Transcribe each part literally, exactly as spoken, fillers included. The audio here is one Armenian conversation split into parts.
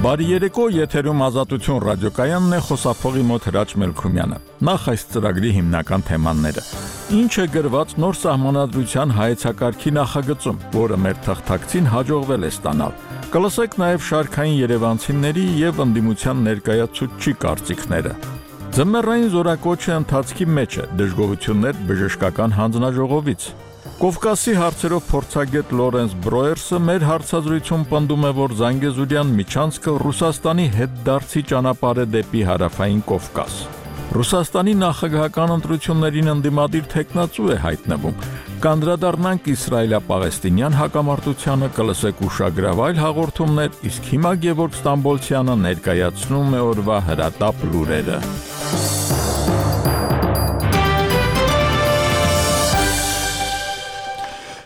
Բարի երեկո, եթերում Ազատություն ռադիոկայանն է, խոսափողի մոտ Հրաչ Մելքումյանը։ Նախ այս ծրագրի հիմնական թեմաները։ Ինչ է գրված նոր սահմանադրության հայեցակարգի նախագծում, որը մեր թղթակցին հաջողվել է ստանալ։ Կլսեք նաև շարքային երևանցիների եւ ընդդիմության ներկայացուցչի կարծիքները։ Ձմեռային զորակոչը ընթացքի մեջ է, դժգոհություններ բժշկական հանձնաժողովից։ Կովկասի հարցերով փորձագետ Լորենս Բրոերսը մեր հարցազրույցում պնդում է, որ Զանգեզուրյան միջանցքը Ռուսաստանի հետդարձի ճանապարհ է դեպի հարավային Կովկաս։ Ռուսաստանի նախագահական ընտրություններին ընդդիմադիր թեկնածու է հայտնվում։ Կանդրադառնանք իսրայելա-պաղեստինյան հակամարտությանը, կլսեք ուշագրավ այլ հաղորդումներ, իսկ հիմա Գևորգ Ստամբոլցյանը ներկայացնում է օրվա հրատապ լուրերը։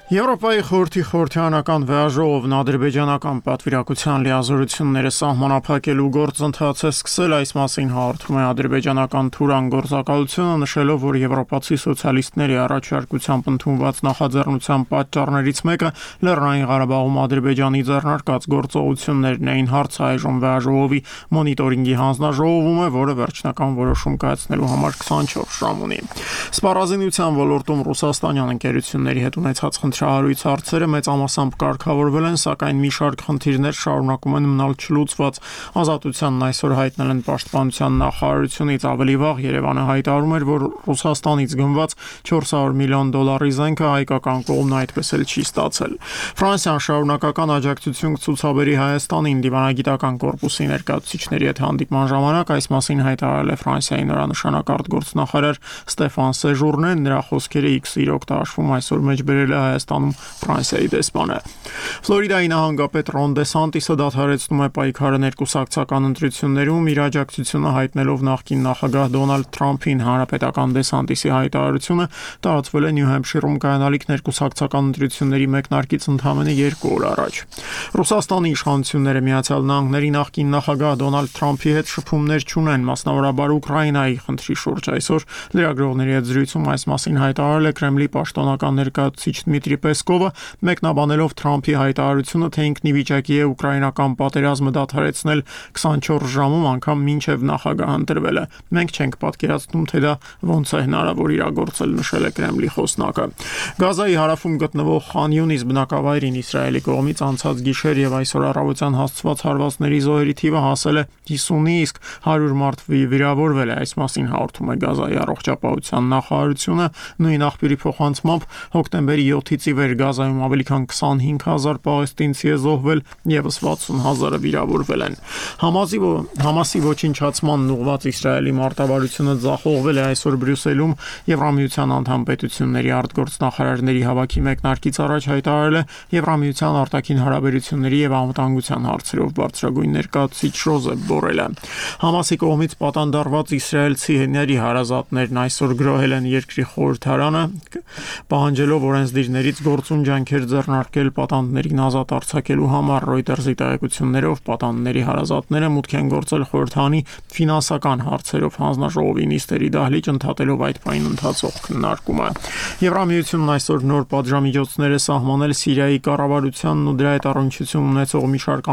Եվրոպայի խորհրդի խորհրդարանական վեաժողովն ադրբեջանական պատվիրակության լիազորությունները սահմանափակելու գործընթաց է սկսել, այս մասին հաղորդում է ադրբեջանական Թուրան գործակալությունը, նշելով, որ եվրոպացի սոցիալիստների առաջարկությամբ ընդունված նախաձեռնության պատճառներից մեկը Լեռնային Ղարաբաղում Ադրբեջանի ձեռնարկած գործողություններն էին, հարցը այժմ վեաժողովի մոնիտորինգի հանձնաժողովում է, որը վերջնական որոշում կայացնելու համար քսանչորս ժամ ունի։ Սպառազինության ոլորտում ռուսաստանյան ընկերությունների հետ ունեցած Շահարույց հարցերը մեծամասամբ կարգավորվել են, սակայն մի շարք խնդիրներ շարունակում են մնալ չլուծված։ Ազատությանն այսօր հայտնել են պաշտպանության նախարարությունից, ավելի վաղ Երևանը հայտարարում էր, որ Ռուսաստանից գնված չորս հարյուր միլիոն դոլարի զենքը հայկական կողմն այդպես էլ չի ստացել։ Ֆրանսիան շարունակական աջակցություն կցուցաբերի Հայաստանին դիվանագիտական կորպուսի ներկայացուցիչների հետ հանդիպման ժամանակ, այս մասին հայտարարել է Ֆրանսիայի նորանշանակարդ գործնախարար Ստեֆան Սեժուրնեն, նրա խոսքերը X-ի օգտաշվում այսօր մեջ բերել է Հայաստանում Ֆրանսիայի դեսպանը։ Ֆլորիդայի նահանգապետ Ռոն Դեսանտիսը դադարեցնում է պայքարը ներկուսակցական ընտրություններում, իր աջակցությունը հայտնելով նախկին նախագահ Դոնալդ Թրամփին։ Հանրապետական Դեսանտիսի հայտարարությունը տարածվել է Նյու Հեմփշիրում կայանալիք ներկուսակցական ընտրությունների մեկնարկից ընդամենը երկու օր առաջ։ Ռուսաստանի իշխանությունները Միացյալ Նահանգների նախկին նախագահ Դոնալդ Թրամփի հետ շփումներ չունեն, մասնավորաբար Ուկրաինայի խնդրի շուրջ։ Այսօր լրագրողների հետ զրույցում այս մասին հայտարարել է Կրեմլի պաշտոնական ներկայացուցիչ Դմիտրի Պեսկովը, մեկնաբանելով Թրամփի հայտարարությունը, թե ինքն ի վիճակի է ուկրաինական պատերազմը դադարեցնել քսանչորս ժամում, անգամ մինչև նախագահ ընտրվելը։ Մենք չենք պատկերացնում, թե դա ոնց է հնարավոր իրագործել, նշել է Կրեմլի խոսնակը։ Գազայի հարավում գտնվող Խան Յունիս բնակավայրին Իսրայելի կողմից անցած գիշեր եւ այսօր առավոտյան հասցված հարվածների զոհերի թիվը հասել է հիսունի, իսկ հարյուր մարդ վիրավորվել է։ Այս մասին հաղորդում է Գազայի առողջապահության նախարարությունը։ Նույն աղբյուրի փոխանցմամբ հոկտեմբերի յոթից ի վեր Գազայում ավելի քան քսանհինգ հազար պաղեստինցի է զոհվել, եւս վաթսուն հազարը վիրավորվել են։ Համազի Համասի ոչնչացմանն ուղղված Իսրայելի մարտավարությունը ձախողվել է այսօր Բրյուսելում։ Եվրամիության անդամ պետությունների արտգործնախարարների հավաքի մեկնարկից առաջ հայտարարել է Եվրամիության արտաքին հարաբերությունների եւ անվտանգության հարցերով բարձրագույն ներկայացուցիչ Ժոզեփ Բորելը։ Համասի կողմից պատանդարված իսրայելցիների հարազատներն այսօր գրոհել են երկրի խորհրդարանը, պահանջելով օրենսդիրներից գործուն ջանքեր ձեռնարկել պատանդներին ազատ արձակելու համար։ Reuters-ի տեղեկություններով պատանդների հարազատները մուտք են գործել խորհրդանի ֆինանսական հարցերով հանձնաժողովի նիստերի դահլիճ, ընդհատելով այդ պահին ընթացող քննարկումը։ Եվրամիությունն այսօր նոր պատժամիջոցներ է սահմանել Սիրիայի կառավարությանն ու դրա հետ առնչություն ունեցող մի շարք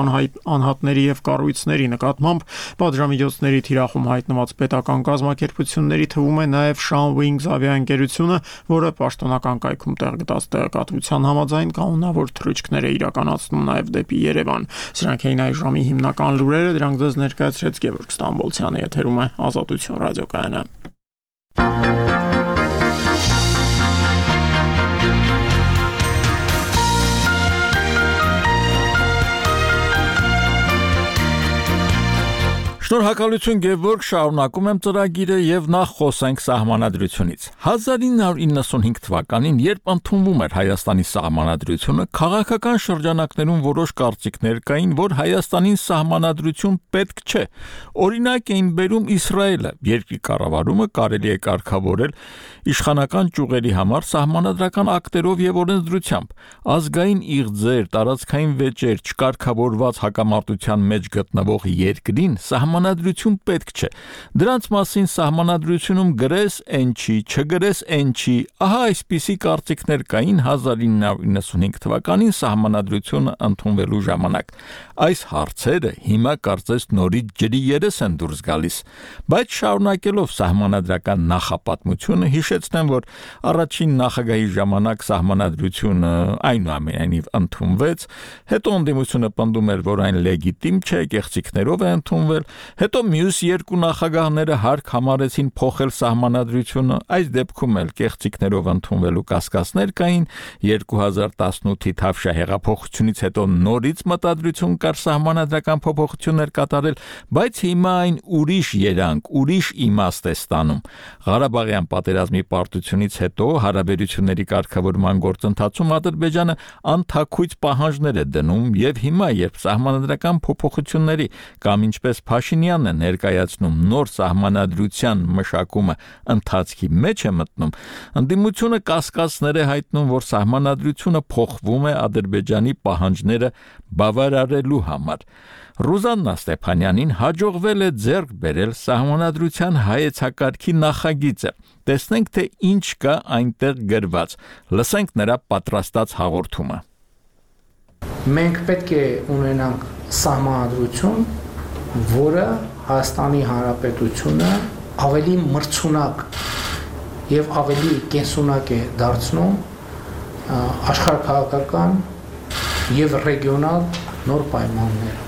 անհատների եւ կառույցների նկատմամբ։ Պատժամիջոցների թիրախում հայտնված պետական կազմակերպությունների թվում է նաեւ Shan Wings ավիաընկերությունը, որը պաշտոնական կայքում տեղ գտած տեղեկատվության համաձայն կանոնավոր թռիչքներ է իրականացնում նաև դեպի Երևան։ Սրանք էին այս ժամի հիմնական լուրերը, դրանք ձեզ ներկայացրեց Գևորգ Ստամբոլցյանը, եթերում է Ազատություն ռադիոկայանը։ Շնորհակալություն Գևորգ, շարունակում եմ ծրագիրը եւ նախ խոսենք սահմանադրությունից։ հազար ինը հարյուր իննսունհինգ թվականին, երբ ընդունվում էր Հայաստանի սահմանադրությունը, քաղաքական շրջանակներում որոշ կարծիքներ կային, որ Հայաստանին սահմանադրություն պետք չէ։ Օրինակ էին բերում Իսրայելը, երկրի կառավարումը կարելի է կարգավորել իշխանական ճյուղերի համար սահմանադրական ակտերով եւ օրենսդրությամբ, ազգային իղձեր, տարածքային վեճեր, չկարգավորված հակամարտության մեջ գտնվող երկրին սահման սահմանադրություն պետք չէ։ Դրանց մասին սահմանադրությունում գրես են չի, չգրես են չի, ահա այսպիսի կարծիքներ կային հազար ինը հարյուր իննսունհինգ թվականին սահմանադրությունը ընդունվելու ժամանակ։ Այս հարցերը հիմա կարծես նորից ջրի երես են դուրս գալիս, բայց շարունակելով սահմանադրական նախապատմությունը հիշեցնեմ, որ առաջին նախագահի ժամանակ սահմանադրությունը այնուամենայնիվ ընդունվեց, հետո ընդդիմությունը պնդում էր, որ այն լեգիտիմ չէ, կեղծիքներով է ընդունվել, հետո մյուս երկու նախագահները հարկ համարեցին փոխել սահմանադրությունը, այս դեպքում էլ կեղծիքներով ընդունվելու կասկածներ կային, երկու հազար տասնութի Թավշյա հեղափոխությունից հետո նորից մտադրություն կար սահմանադրական փոփոխություններ կատարել, բայց հիմա այն ուրիշ երանգ, ուրիշ իմաստ է ստանում։ Ղարաբաղյան պատերազմի պարտությունից հետո հարաբերությունների կարգավորման գործընթացում Ադրբեջանը անթաքույց պահանջներ է դնում եւ հիմա, երբ սահմանադրական փոփոխությունների կամ ինչպես Փաշինյանն է ներկայացնում նոր սահմանադրության մշակումը ընթացքի մեջ է մտնում, ընդդիմությունը կասկածներ է հայտնում, որ սահմանադրությունը փոխվում է Ադրբեջանի պահանջները բավարարելու համար։ Ռուզաննա Ստեփանյանին հաջողվել է ձեռք բերել սահմանադրության հայեցակարգի նախագիծը։ Տեսնենք, թե ինչ կա այնտեղ գրված։ Լսենք նրա պատրաստած հաղորդումը։ Մենք պետք է ունենանք սահմանադրություն, որը Հայաստանի Հանրապետությունը ավելի մրցունակ եւ ավելի կենսունակ է դարձնում աշխարհաքաղաքական եւ ռեգիոնալ նոր պայմաններ։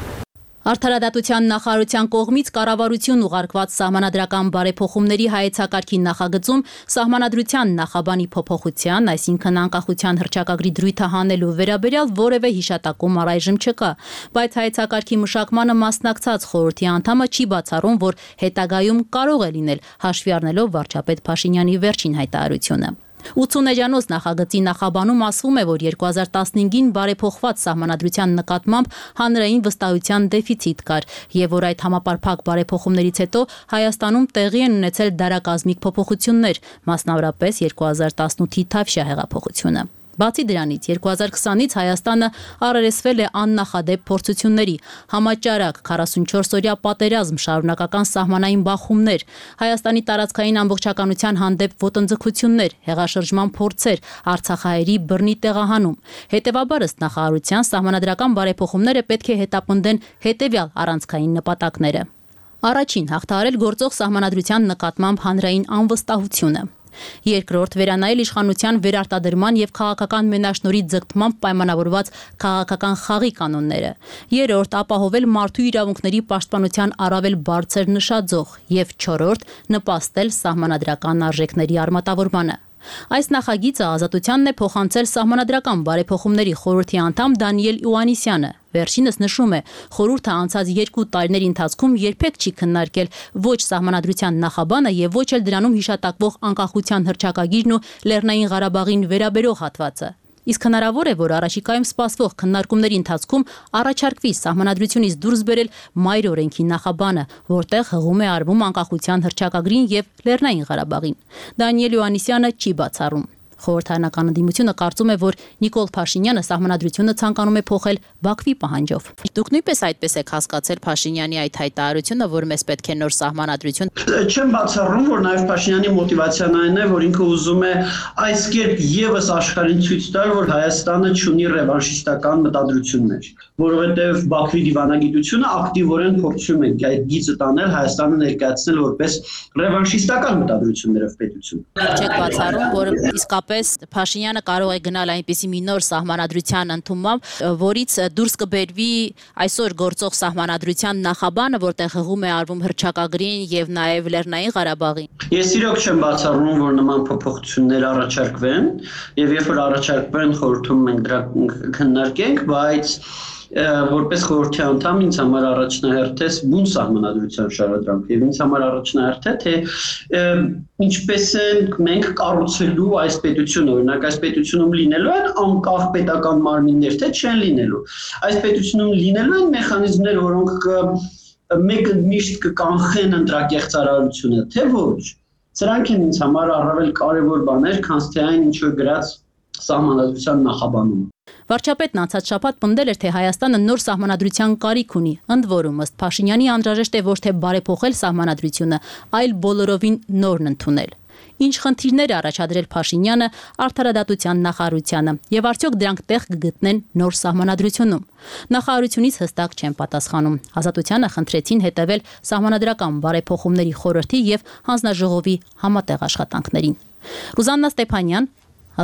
Արդարադատության նախարարության կողմից կառավարություն ուղարկված սահմանադրական բարեփոխումների հայեցակարգի նախագծում սահմանադրության նախաբանի փոփոխության, այսինքն անկախության հռչակագրի դրույթը հանելու վերաբերյալ որևէ հիշատակում առայժմ չկա, բայց հայեցակարգի մշակմանը մասնակցած խորհրդի անդամը չի բացառում, որ հետագայում կարող է լինել, հաշվի առնելով վարչապետ Փաշինյանի վերջին հայտարարությունը։ ութսուն էջանոց նախագծի նախաբանում ասվում է, որ երկու հազար տասնհինգին բարեփոխված սահմանադրության նկատմամբ հանրային վստահության դեֆիցիտ կար եւ որ այդ համապարփակ բարեփոխումներից հետո Հայաստանում տեղի են ունեցել դարակազմիկ փոփոխություններ, մասնավորապես երկու հազար տասնութի Թավշյա հեղափոխությունը։ Բացի դրանից երկու հազար քսանից Հայաստանը առերեսվել է աննախադեպ փորձությունների, համաճարակ քառասունչորս օրյա պատերազմ, շարունակական սահմանային բախումներ, Հայաստանի տարածքային ամբողջականության հանդեպ ոտնձգություններ, հեղաշրջման փորձեր, արցախահայերի բռնի տեղահանում։ Հետևաբար ըստ նախարարության սահմանադրական բարեփոխումները պետք է հետապնդեն հետևյալ առանցքային նպատակները։ Առաջին, հաղթահարել գործող սահմանադրության նկատմամբ հանրային անվստահությունը։ Երկրորդ, վերանայել իշխանության վերարտադրման եւ քաղաքական մենաշնորհի ձգտմամբ պայմանավորված քաղաքական խաղի կանոնները։ Երրորդ, ապահովել մարդու իրավունքների պաշտպանության առավել բարձր նշաձող եւ չորրորդ, նպաստել սահմանադրական արժեքների արմատավորմանը։ Այս նախագիծը Ազատությանն է փոխանցել սահմանադրական բարեփոխումների խորհրդի անդամ Դանիել Իոաննիսյանը։ Վերջինս նշում է, խորհուրդը անցած երկու տարիների ընթացքում երբեք չի քննարկել ոչ սահմանադրության նախաբանը եւ ոչ էլ դրանում հիշատակվող անկախության հռչակագիրն ու Լեռնային Ղարաբաղին վերաբերող հատվածը։ Իսկ հնարավոր է, որ առաջիկայում սպասվող քննարկումների ընթացքում առաջարկվի սահմանադրությունից դուրս բերել մայր օրենքի նախաբանը, որտեղ հղում է արվում անկախության հռչակագրին եւ Լեռնային Ղարաբաղին։ Դանիել Իոաննիսյանը չի բացառում։ Խորհրդարանական ընդդիմությունը կարծում է, որ Նիկոլ Փաշինյանը սահմանադրությունը ցանկանում է փոխել Բաքվի պահանջով։ Դուք նույնպես այդպես եք հասկացել Փաշինյանի այդ հայտարարությունը, որ մեզ պետք է նոր սահմանադրություն։ Չեմ բացառում, որ նաև Փաշինյանի մոտիվացիան այն է, որ ինքը ուզում է այս կերպ եւս աշխարհին ցույց տալ, որ Հայաստանը չունի ռևանշիստական մտադրություններ, որովհետեւ Բաքվի դիվանագիտությունը ակտիվորեն փորձում է այդ գիծը տանել, Հայաստանը ներկայացնել որպես ռևանշիստական մտադրություններով պետություն։ Չեք բացառում, որ իսկապես Փաշինյանը կարող է գնալ այնպիսի մի նոր սահմանադրության ընդունմամբ, որից դուրս կբերվի այսօր գործող սահմանադրության նախաբանը, որտեղ հղում է արվում հռչակագրին եւ նաեւ Լեռնային Ղարաբաղին։ Ես իրոք չեմ բացառում, որ նման փոփոխություններ առաջարկվեն եւ երբ որ առաջարկվեն խորհրդում մենք դրա քննարկենք, բայց որպես խորհրդի անդամ ինձ համար առաջնահերթ է բուն սահմանադրության շարադրանքը եւ ինձ համար առաջնահերթ է թե ինչպես են մենք կառուցելու այս պետությունը, օրինակ այս պետությունում լինելու են անկախ պետական մարմիններ, թե չեն լինելու։ Այս պետությունում լինելու են մեխանիզմներ, որոնք մեկը միշտ կկանխեն ընտրակեղծարարությունը, թե ոչ։ Սրանք են ինձ համար առավել կարևոր բաներ, քան թե այն ինչ որ գրած սահմանադրության նախաբանում։ Վարչապետն անցած շաբաթ պնդել էր, թե Հայաստանը նոր սահմանադրության կարիք ունի, ընդ որում ըստ Փաշինյանի անհրաժեշտ է ոչ թե բարեփոխել սահմանադրությունը, այլ բոլորովին նորն ընդունել։ Ինչ խնդիրներ է առաջադրել Փաշինյանը արդարադատության նախարարությանը եւ արդյոք դրանք տեղ կգտնեն նոր սահմանադրությունում։ Նախարարությունից հստակ չեն պատասխանում։ Ազատությանը խնդրեցին հետևել սահմանադրական բարեփոխումների խորհրդի եւ հանձնաժողովի համատեղ աշխատանքներին։ Ռուզաննա Ստեփանյան,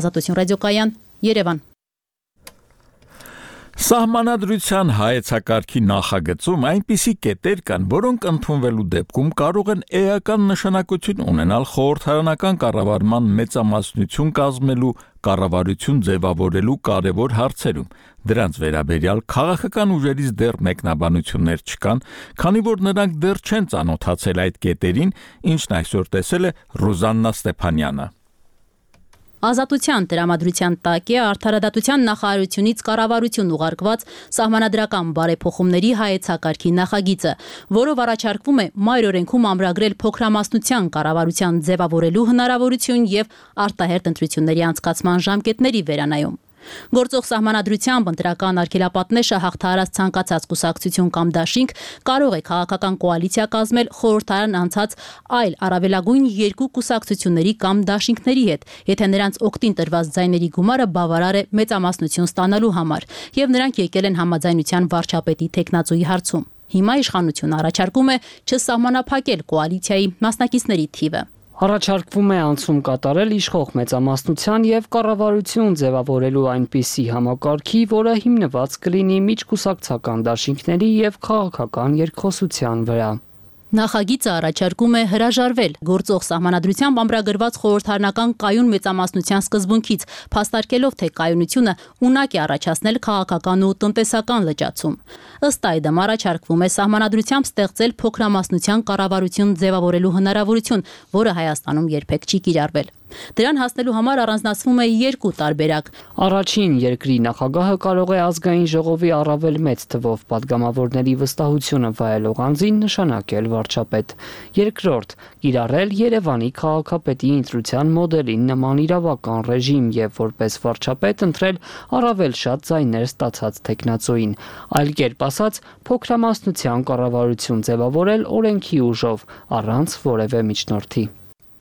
Ազատություն ռադիոկայան, Երևան։ Սահմանադրության հայեցակարգի նախագծում այնպիսի կետեր կան, որոնք ընդունվելու դեպքում կարող են էական նշանակություն ունենալ խորհրդարանական կառավարման մեծամասնություն կազմելու կառավարություն ձևավորելու կարևոր հարցերում։ Դրանց վերաբերյալ քաղաքական ուժերից դեռ մեկնաբանություններ չկան, քանի որ նրանք դեռ չեն ծանոթացել այդ կետերին, ինչն այսօր տեսել է Ռուզաննա Ստեփանյանը։ Ազատության տրամադրության տակ է արդարադատության նախարարությունից կառավարություն ուղարկված սահմանադրական բարեփոխումների հայեցակարգի նախագիծը, որով առաջարկվում է մայր օրենքում ամրագրել փոքրամասնության կառավարության ձևավորելու հնարավորություն եւ արտահերթ ընտրությունների անցկացման ժամկետների վերանայում։ Գործող սահմանադրությամբ ընտրական արգելապատնեշը հաղթահարած ցանկացած կուսակցություն կամ դաշինք կարող է քաղաքական կոալիցիա կազմել խորհրդարան անցած այլ առավելագույն երկու կուսակցությունների կամ դաշինքների հետ, եթե նրանց օգտին տրված ձայների գումարը բավարար է մեծամասնություն ստանալու համար, եւ նրանք եկել են համաձայնության վարչապետի թեկնածուի հարցում։ Հիմա իշխանությունը առաջարկում է չսահմանափակել կոալիցիայի մասնակիցների թիվը։ Առաջարկվում է անցում կատարել իշխող մեծամասնության եւ կառավարություն ձևավորելու այնպիսի համակարգի, որը հիմնված կլինի միջկուսակցական դաշինքների եւ քաղաքական երկխոսության վրա։ Նախագիծը առաջարկում է հրաժարվել գործող սահմանադրությամբ ամրագրված խորհրդարանական կայուն մեծամասնության սկզբունքից, փաստարկելով, թե կայունությունը ունակ է առաջացնել քաղաքական ու տնտեսական լճացում։ Ըստ այդմ առաջարկվում է սահմանադրությամբ ստեղծել փոքրամասնության կառավարություն ձևավորելու հնարավորություն, որը Հայաստանում երբեք չի կիրառվել։ Դրան հասնելու համար առանձնացվում է երկու տարբերակ։ Առաջին երկրի նախագահը կարող է ազգային ժողովի առավել մեծ թվով падգամավորների վստահությունը վայելող անձին նշանակել վարչապետ։ Երկրորդ՝ կիրառել Երևանի քաղաքապետի ընտրության մոդելին նման իրավական ռեժիմ եւ որպես վարչապետ ընտրել առավել շատ ձայներ ստացած թեկնածուին։ Այլ կերպ ասած, փոքրամասնության կառավարություն ձևավորել օրենքի ուժով, առանց որևէ միջնորդի։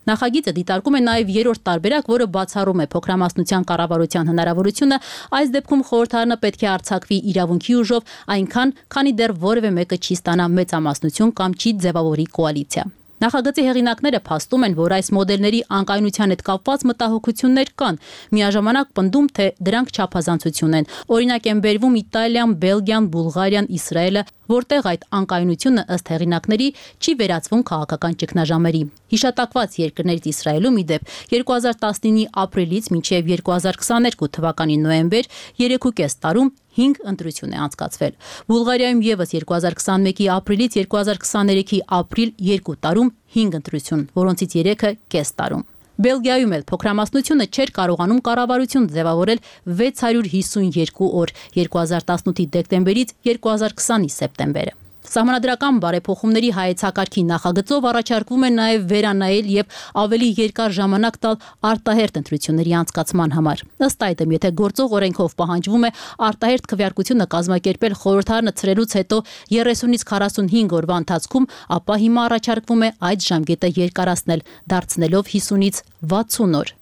Նախագիծը դիտարկում է նաև երրորդ տարբերակ, որը բացառում է փոքրամասնության կառավարության հնարավորությունը, այս դեպքում խորհրդարանը պետք է արձակվի իրավունքի ուժով, այնքան, քանի դեռ որևէ մեկը չի ստանա մեծամասնություն կամ չի ձևավորի կոալիցիա։ Նախագծի հեղինակները փաստում են, որ այս մոդելների անկայունության հետ կապված մտահոգություններ կան, միաժամանակ պնդում, թե դրանք չափազանցություն են։ Օրինակ են բերվում Իտալիան, Բելգիան, Բուլղարիան, Իսրայելը, որտեղ այդ անկայունությունը ըստ հեղինակների չի վերածվում քաղաքական ճգնաժամերի։ Հիշատակված երկրներից Իսրայելում ի դեպ երկու հազար տասնինի ապրիլից մինչև երկու հազար քսաներկու թվականի նոյեմբեր երեքուկես տարում հինգ ընտրություն է անցկացվել։ Բուլղարիայում եւս երկու հազար քսանմեկի ապրիլից երկու հազար քսաներեքի ապրիլ երկու տարում հինգ ընտրություն, որոնցից երեքը կես տարում։ Բելգիայում էլ փոքրամասնությունը չէր կարողանում կառավարություն ձևավորել վեց հարյուր հիսուն երկու օր երկու հազար տասնութի դեկտեմբերից երկու հազար քսանի սեպտեմբերը։ Սահմանադրական բարեփոխումների հայեցակարգի նախագծով առաջարկվում է նաև վերանայել եւ ավելի երկար ժամանակ տալ արտահերթ ընտրությունների անցկացման համար։ Ըստ այդմ, եթե գործող օրենքով պահանջվում է արտահերթ քվեարկությունը կազմակերպել խորհրդարանը ցրելուց հետո երեսունից քառասունհինգ օրվա ընթացքում, ապա հիմա առաջարկվում է այդ ժամկետը երկարացնել, դարձնելով հիսունից վաթսուն օր։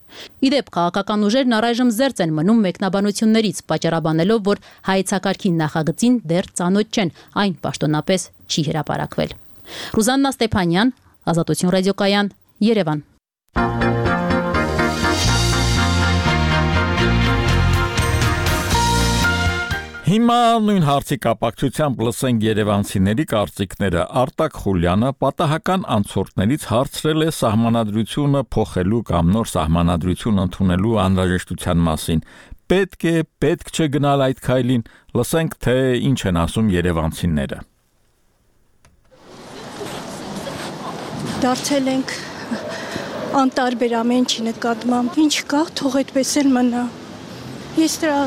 Իդեպ քաղաքական ուժերն առայժմ զերծ են մնում մեկնաբանություններից, պատճառաբանելով, որ հայեցակարգի նախագծին դեռ ծանոթ չեն, այն պաշտոնապես չի հրապարակվել։ Ռուզաննա Ստեփանյան, Ազատություն ռադիոկայան, Երևան։ Հիմա նույն հարցի կապակցությամբ լսենք երևանցիների կարծիքները։ Արտակ Խուլյանը պատահական անցորդներից հարցրել է սահմանադրությունը փոխելու կամ նոր սահմանադրություն ընդունելու անհրաժեշտության մասին։ Պետք է, պետք չէ գնալ այդ քայլին, լսենք, թե ինչ են ասում երևանցիները։ Դարձել ենք անտարբեր ամեն ինչի նկատմամբ։ Ինչ կա, թող այդպես էլ մնա։ Ես դրա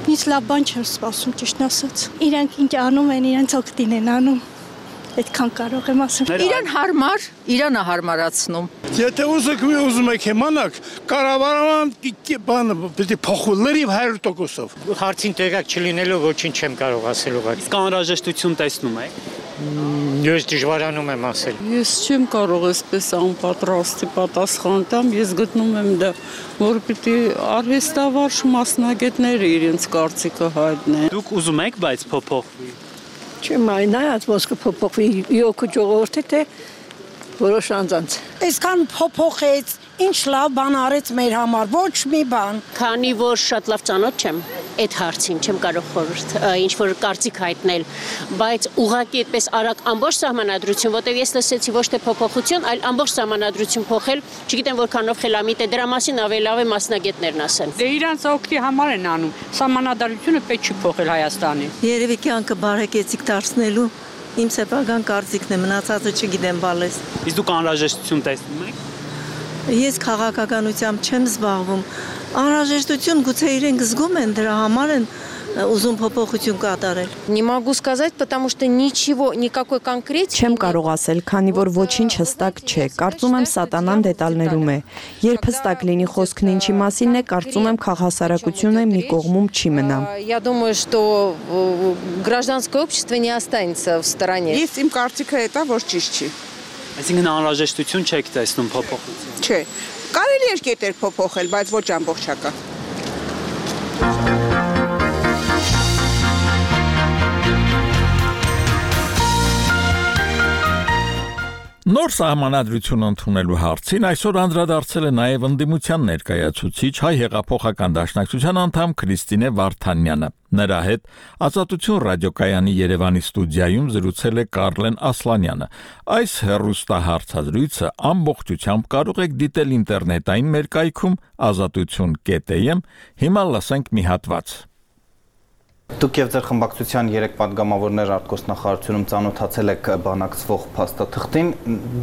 Ինչ լավ բան չեմ սպասում, ճիշտ ասած։ Իրանք ինչ անում են, իրենց օգտին են անում։ Այդքան կարող եմ ասել։ Իրան հարմար, Իրանը հարմարացնում։ Եթե ուզեք մի ուզում եք իմանաք, կառավարման բանը պիտի փոխվի հարյուր տոկոսով։ Հարցին տեղակ չլինելով ոչինչ չեմ կարող ասել ուղղակի։ Իսկ անհրաժեշտություն տեսնում եք։ Ես դժվարանում եմ ասել։ Ես չեմ կարող այսպես անպատրաստի պատասխան տամ, ես գտնում եմ դա, որ պիտի արհեստավարժ մասնագետները իրենց կարծիքը հայտնեն։ Դուք ուզում եք, բայց փոփոխվի։ Չեմ այնայած ոսկը փոփոխվի յոկու ժողովրդի թե որոշ անձանց։ Այսքան փոփոխեց, ինչ լավ բան արեց մեր համար, ոչ մի բան։ Քանի որ շատ լավ ծանոթ չեմ այդ հարցին, չեմ կարող խորհուրդ ինչ որ կարծիք հայտնել, բայց ուղղակի այդպես արագ ամբողջ սահմանադրություն, որտեղ ես լսեցի ոչ թե փոփոխություն, այլ ամբողջ սահմանադրություն փոխել, չգիտեմ որքանով խելամիտ է, դրա մասին ավելի լավ է մասնագետներն ասեն։ Դե իրանց օգտի համար են անում։ Սահմանադրությունը պետք չի փոխել Հայաստանի։ Երևի կյանքը բարեկեցիկ դարձնելու իմ սեփական կարծիքն է, մնացածը չգիտեմ բալես։ Իսկ դուք անհրաժեշտություն տեսնում եք։ Ես քաղաքականությամբ չեմ զբաղվում։ Անհրաժեշտություն գուցե իրենք զգում են, դրա համար են ուզում փոփոխություն կատարել։ Не могу сказать, потому что ничего, никакой конкретики. Չեմ կարող ասել, քանի որ ոչինչ հստակ չէ։ Կարծում եմ սատանան դետալներում է։ Երբ հստակ լինի խոսքն ինչի մասինն է, կարծում եմ քաղաքասարակությունը մի կողմում չի մնա։ Я думаю, что гражданское общество не останется в стороне. Ես իմ կարծիքը հետա որ ճիշտ չի։ Այսինքն անհրաժեշտություն չեք տեսնում փոփոխություն։ Չէ։ Կարելի է կետեր փոփոխել, բայց ոչ ամբողջական։ Նոր սահմանադրություն ընդունելու հարցին այսօր անդրադարձել է նաև ընդդիմության ներկայացուցիչ Հայ հեղափոխական դաշնակցության անդամ Քրիստինե Վարդանյանը։ Նրա հետ Ազատություն ռադիոկայանի Երևանի ստուդիայում զրուցել է Կարլեն Ասլանյանը։ Այս հեռուստահարցազրույցը ամբողջությամբ կարող եք դիտել ինտերնետային մեր կայքում ազատություն կետ էմ։ Հիմա լսենք մի հատված։ Դուք եւ ձեր խմբակցության երեք падգամավորներ արտգործնախարարությունում ծանոթացել եք բանակցվող փաստաթղթին,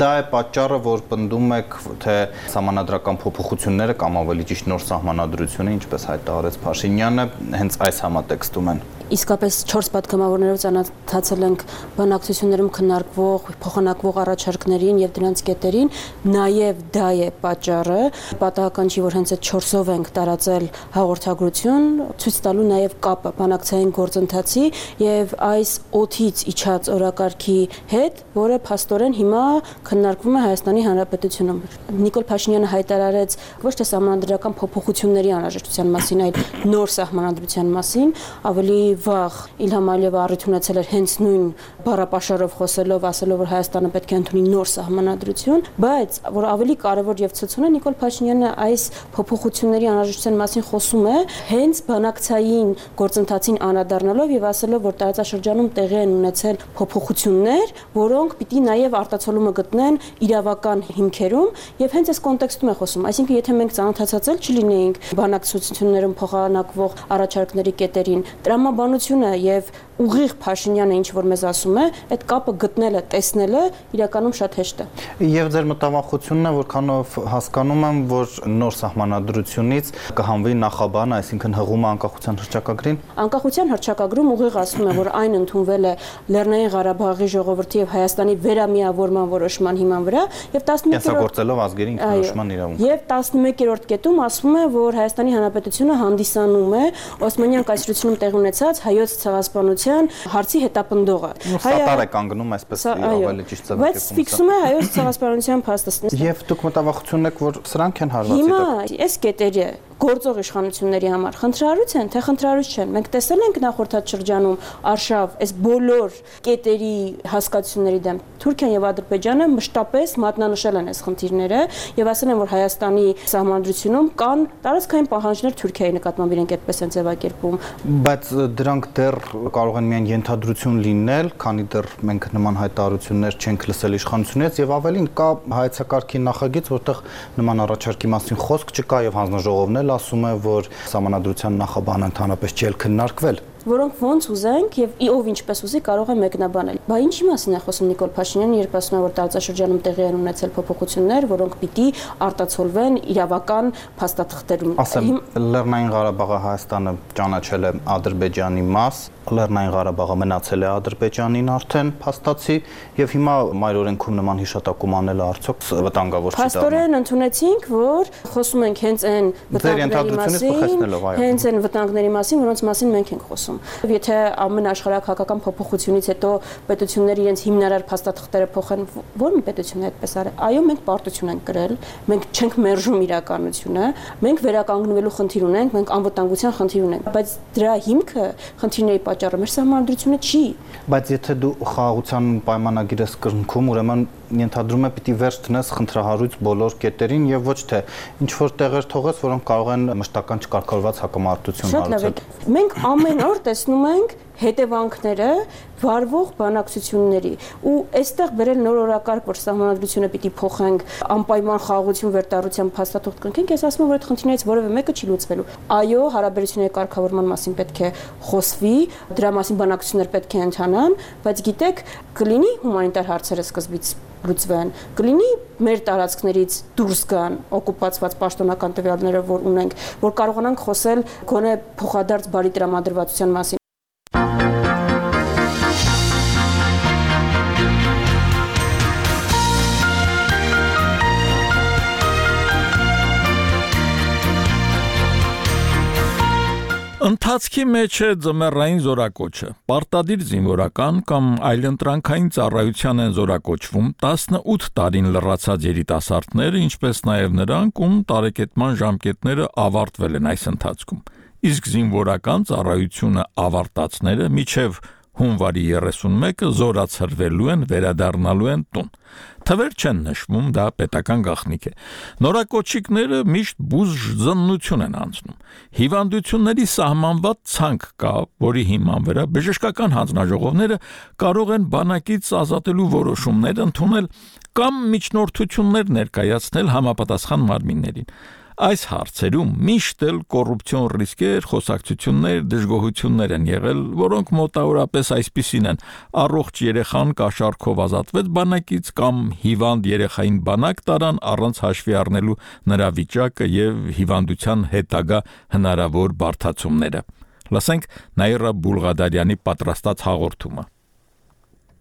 դա է պատճառը, որ պնդում եք, թե սահմանադրական փոփոխությունները կամ ավելի ճիշտ նոր սահմանադրությունը, ինչպես հայտարարեց Փաշինյանը, հենց այս համատեքստում են։ Իսկապես չորս падգամավորներով ծանոթացել ենք բանակցություններում քննարկվող, փոխանակվող առաջարկներին եւ դրանց կետերին, նաեւ դա է պատճառը, պատահական չի, որ հենց այդ չորսով ենք տարածել հաղորդագրություն, ցույց տալու նաեւ կապը բանակցային գործընթացի եւ այս օթից իջած օրակարգի հետ, որը փաստորեն հիմա քննարկվում է Հայաստանի Հանրապետությունում։ Նիկոլ Փաշինյանը հայտարարեց ոչ թե սահմանադրական փոփոխությունների անհրաժեշտության մասին, այլ նոր սահմանադրության մասին, ավելի վաղ Իլհամ Ալիևը առիթ ունեցել էր հենց նույն բառապաշարով խոսելով, ասելով, որ Հայաստանը պետք է ընդունի նոր սահմանադրություն, բայց որ ավելի կարևոր եւ ցցուն է, Նիկոլ Փաշինյանը այս փոփոխությունների անհրաժեշտության մասին խոսում է հենց բանակցային գործընթացին անդրադառնալով եւ ասելով, որ տարածաշրջանում տեղի են ունեցել փոփոխություններ, որոնք պիտի նաեւ արտացոլումը գտնեն իրավական հիմքերում եւ հենց այս կոնտեքստում է խոսում։ Այսինքն, եթե մենք ծանոթացած չլինեինք բանակցություններում փոխանակվող առաջարկների կետերին, տրամաբանությունը եւ ուղիղ Փաշինյանը ինչ որ մեզ ասում է, այդ կապը գտնելը, տեսնելը իրականում շատ հեշտ է։ Եվ ձեր մտավախությունն է, որքանով հասկանում եմ, որ նոր սահմանադրությունից կհանվի նախաբանը, այսինքն հղումը անկախության հռչակագրին։ Անկախության հռչակագրում ուղիղ ասում է, որ այն ընդունվել է Լեռնային Ղարաբաղի ժողովրդի եւ Հայաստանի վերամիավորման որոշման հիման վրա եւ տասնմեկերորդ ազգերի ինքնորոշման իրավունք։ Եվ տասնմեկերորդ կետում ասում է, որ Հայաստանի Հանրապետությունը հանդիսանում է Օսմանյան կայսրությունում տեղի ունեցած հայոց ցեղասպանության հարցի հետապնդողը։ Սատար է կանգնում այսպես ավելի ճիշտ ձևակերպում։ Բայց ֆիքսում է հայոց ցեղասպանության փաստը։ Եվ դուք մտավախություն եք, որ սրանք են հարվածի։ Հիմա այս կետերը գործող իշխանությունների համար խնդրարույց են, թե խնդրարույց չեն։ Մենք տեսել ենք նախորդած շրջանում արշավ այս բոլոր կետերի հասկացությունների դեմ Թուրքիան եւ Ադրբեջանը մշտապես մատնանշել են այս խնդիրները եւ ասել են, որ Հայաստանի սահմանադրությունում կան տարածքային պահանջներ Թուրքիայի նկատմամբ, իրենք այդպես են ձևակերպում։ Բայց դրանք դեռ կարող են միայն ենթադրություն լինել, քանի դեռ մենք նման հայտարարություններ չենք լսել իշխանությունից եւ ավելին կա հայեցակարգի նախագիծ, որտեղ նման առաջարկի մասին խոսք չկա եւ հանձնաժողովն ասում է, որ սահմանադրության նախաբանը ընդհանրապես չի քննարկվել։ որոնք ոնց ուզենք եւ ով ինչպես ուզի կարող է մեկնաբանել։ Բա ինչի մասին է խոսում Նիկոլ Փաշինյանը, երբ ասում է, որ տարածաշրջանում տեղի են ունեցել փոփոխություններ, որոնք պիտի արտացոլվեն իրավական փաստաթղթերում։ Ասեմ, Լեռնային Ղարաբաղը Հայաստանը ճանաչել է Ադրբեջանի մաս, Լեռնային Ղարաբաղը մնացել է Ադրբեջանին արդեն փաստացի եւ հիմա մայրօրենքում նման հիշատակում անելը արդյոք վտանգավոր չի դառնում։ Փաստորեն ընդունեցինք, որ խոսում ենք հենց այն վտանգների մասին, հենց այն վտանգների մասին, որոնց մասին մենք ենք խոսում։ Եթե ամեն աշխարհակական փոփոխությունից հետո պետությունները իրենց հիմնարար փաստաթղթերը փոխեն, ո՞ր մի պետություն է այդպես արել։ Այո, մենք պարտություն ենք կրել, մենք չենք մերժում իրականությունը, մենք վերականգնվելու խնդիր ունենք, մենք անվտանգության խնդիր ունենք, բայց դրա հիմքը խնդիրների պատճառը մեր սահմանադրությունը չի։ Բայց եթե դու խաղաղության պայմանագիր ես կրնքում, ուրեմն ենթադրում է պիտի վերջ տնես խնդրահարույց բոլոր կետերին եւ ոչ թե ինչ որ տեղեր թողես, որոնք կարող են մշտական չկարգավորված հակամարտություն հարուցել։ Մենք ամեն օր տեսնում ենք հետևանքները վարվող բանակցությունների ու այստեղ բերել նոր օրակարգ, որ սահմանադրությունը պիտի փոխենք, անպայման խաղաղություն վերտարության փաստաթուղթ կնքենք, ես ասում եմ, որ այդ խնդիրներից որևէ մեկը չի լուծվելու։ Այո, հարաբերությունների կարգավորման մասին պետք է խոսվի, դրա մասին բանակցություններ պետք է ընթանան, բայց գիտեք, կլինի հումանիտար հարցերը սկզբից լուծվեն, կլինի մեր տարածքներից դուրս գան օկուպացված պաշտոնական տվյալները, որ ունենք, որ կարողանանք խոսել գոնե փոխադարձ բարի տրամադրվածության մասին։ Ընթացքի մեջ է ձմեռային զորակոչը, պարտադիր զինվորական կամ այլընտրանքային ծառայության են զորակոչվում տասնութ տարին լրացած երիտասարդները, ինչպես նաև նրանք, ում տարեկետման ժամկետները ավարտվել են այս ընթացքում։ Իսկ զինվորական ծառայությունը ավարտածները մինչև հունվարի երեսունմեկը զորացրվելու են, վերադառնալու են տուն։ Թվեր չեն նշվում, դա պետական գաղտնիք է։ Նորակոչիկները միշտ բուժզննություն են անցնում։ Հիվանդությունների սահմանված ցանկ կա, որի հիման վրա բժշկական հանձնաժողովները կարող են բանակից ազատելու որոշումներ ընդունել կամ միջնորդություններ ներկայացնել համապատասխան մարմիններին։ Այս հարցերում միշտ էլ կոռուպցիոն ռիսկեր, խոսակցություններ, դժգոհություններ են եղել, որոնք մոտավորապես այսպիսին են. առողջ երեխան կաշառքով ազատվեց բանակից կամ հիվանդ երեխային բանակ տարան առանց հաշվի առնելու նրա վիճակը եւ հիվանդության հետագա հնարավոր բարդացումները։ Լսենք Նաիրա Բուլղադարյանի պատրաստած հաղորդումը։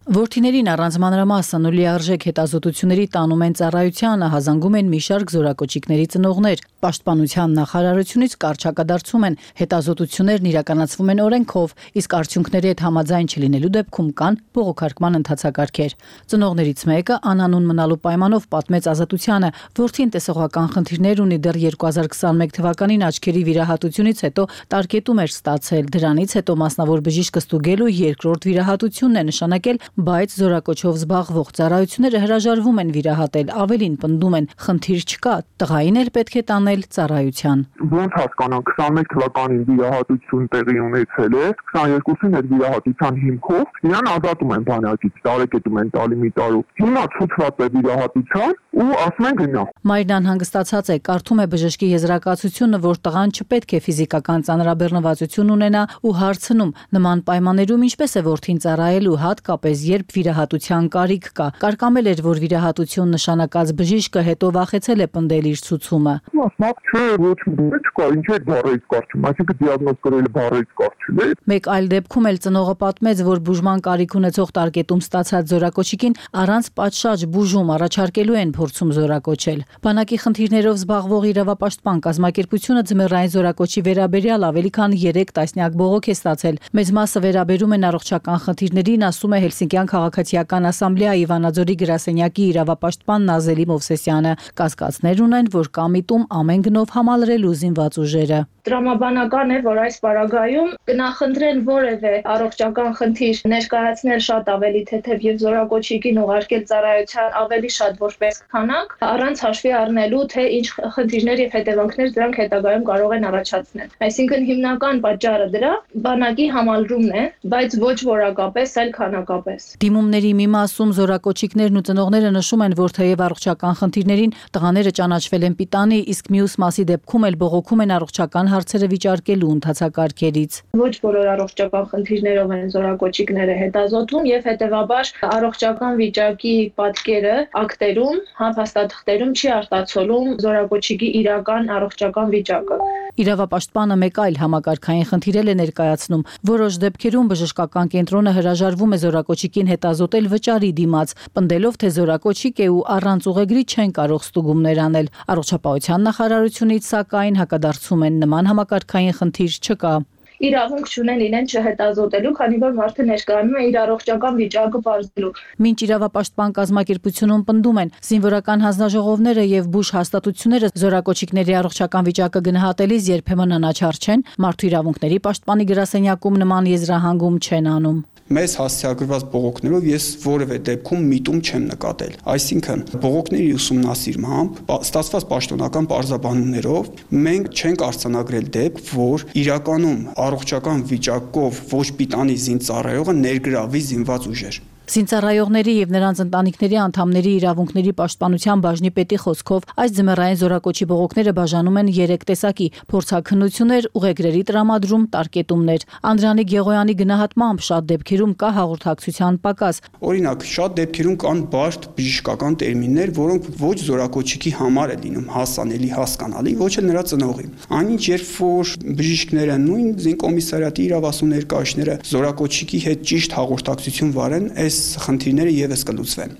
Որդիներին առանց մանրամասն ու լիարժեք հետազոտությունների տանում են ծառայությանը, հազանգում են մի շարք զորակոչիկների ծնողներ։ Պաշտպանության նախարարությունից կարճակադարձում են, հետազոտություններն իրականացվում են օրենքով, իսկ արդյունքների հետ համաձայն չլինելու դեպքում կան բողոքարկման ընթացակարգեր։ Ծնողներից մեկը անանուն մնալու պայմանով պատմեց Ազատությանը, որդին տեսողական խնդիրներ ունի, դեռ երկու հազար քսաներկու թվականին աչքերի վիրահատությունից հետո տարկետում էր ստացել, դրանից հետո մասնավոր բժիշկ ստուգելու երկրորդ վիրահատությունն է նշանակել, բայց զորակոչով զբաղվող ծառայությունները հրաժարվում են վիրահատել, ավելին պնդում են, խնդիր չկա, տղային էլ պետք է տանել ծառայության։ Ոնց հասկանանք, քսաներկու թվականին վիրահատություն տեղի ունեցել է, քսաներկուսին այդ վիրահատության հիմքով իրան ազատում են բանակից, տարեկետում են տալի մի տարու։ Հիմա ցուցված է վիրահատության ու ասում են գնա։ Մայրն անհանգստացած է, կարդում է բժշկի եզրակացությունը, որ տղան չպետք է ֆիզիկական ծանրաբեռնվածություն ունենա ու հարցնում, նման պայմաններում ինչպես է որդին ծառայելու, հատկապես երբ վիրահատության կարիք կա։ Կարկամել էր, որ վիրահատություն նշանակած բժիշկը հետո վախեցել է պնդել իր ցուցումը։ Մասնակ չէ, ոչ մի չկա, ինչ է բառից կարճում, այսինքն դիագնոզ կրել բառից կարճում է։ Մեկ այլ դեպքում էլ ծնողը պատմեց, որ բուժման կարիք ունեցող տարկետում ստացած զորակոչիկին առանց պատշաճ բուժում առաջարկելու են փորձում զորակոչել։ Բանակի խնդիրներով զբաղվող իրավապաշտպան կազմակերպությունը ձմեռային զորակոչի վերաբերյալ ավելի քան երեք տասնյակ բողոք է ստացել։ Մեծ մասը վերաբերում են առողջական խնդիրներին, ասում է Հելսինկյան քաղաքացիական ասամբլեայի Վանաձորի գրասենյակի իրավապաշտպան Նազելի Մովսեսյանը։ Կասկածներ ունեն, որ կամիտում ամեն գնով համալրելու զինված ուժերը։ Տրամաբանական է, որ այս պարագայում կնախընտրեն որևէ առողջական խնդիր ներկայացնել շատ ավելի թեթև եւ զորակոչիկին ուղարկել ծառայության ավելի շատ որպես քանակ, առանց հաշվի առնելու, թե ինչ խնդիրներ եւ հետևանքներ դրանք հետագայում կարող են առաջացնել։ Այսինքն հիմնական պատճառը դրա բանակի համալրումն է, բայց ոչ որակապես, այլ քանակապես։ Դիմումների մի մասում զորակոչիկներն ու ծնողները նշում են, որ թեև առողջական խնդիրներին տղաները ճանաչվել են պիտանի, իսկ մյուս մասի դեպքում էլ բողոքում են առողջական հարցերը վիճարկելու ընթացակարգերից։ Ոչ բոլոր առողջական խնդիրներով են զորակոչիկները հետազոտվում եւ հետեւաբար առողջական վիճակի պատկերը ակտերում, հապաստաթղթերում չի արտացոլում զորակոչիկի իրական առողջական վիճակը։ Իրավապաշտպանը մեկ այլ համակարգային խնդիր է ներկայացնում։ Որոշ դեպքերում բժշկական կենտրոնը հրաժարվում է զորակոչիկին հետազոտել վճարի դիմաց, պնդելով, թե զորակոչիկ է ու առանց ուղեգրի չեն կարող ստուգումներ անել։ Առողջապահության նախարարությունից սակայն հակադարձում են, նման համակարգային խնդիր չկա։ Իրավունք չունեն իրեն չհետազոտելու, քանի որ մարդը ներկայանում է իր առողջական վիճակը բարձելու։ Մինչ իրավապաշտպան կազմակերպությունում պնդում են, զինվորական հանձնաժողովները եւ բուժ հաստատությունները զորակոչիկների առողջական վիճակը գնահատելիս երբեմն անաչառ չեն, մարդու իրավունքների պաշտպանի գրասենյակում նման եզրահանգում չեն անում։ Մեզ հասցեագրված բողոքներով ես որևէ դեպքում միտում չեմ նկատել։ Այսինքն, բողոքների ուսումնասիրմամբ, ստացված պաշտոնական պարզաբանումներով մենք չենք արձանագրել դեպք, որ իրականում առողջական վիճակով ոչ պիտանի զինծառայողը ներգրավի զինված ուժեր։ Զինծառայողների եւ նրանց ընտանիքների անդամների իրավունքների պաշտպանության բաժնի պետի խոսքով այս ձմեռային զորակոչի բողոքները բաժանում են երեք տեսակի՝ փորձաքննություններ, ուղեգրերի տրամադրում, տարկետումներ։ Անդրանիկ Գեղոյանի գնահատմամբ շատ դեպքերում կա հաղորդակցության պակաս։ Օրինակ, շատ դեպքերում կան բարդ բժշկական տերմիններ, որոնք ոչ զորակոչիկի համար է լինում հասանելի, հասկանալի, ոչ էլ նրա ծնողի։ Այնինչ, երբ որ բժիշկները, նույն զինկոմիսարիատի իրավասու ներկայացները զորակոչիկի հետ ճիշտ հաղորդակցություն վարեն, այս խնդիրները եւս կլուծվեն։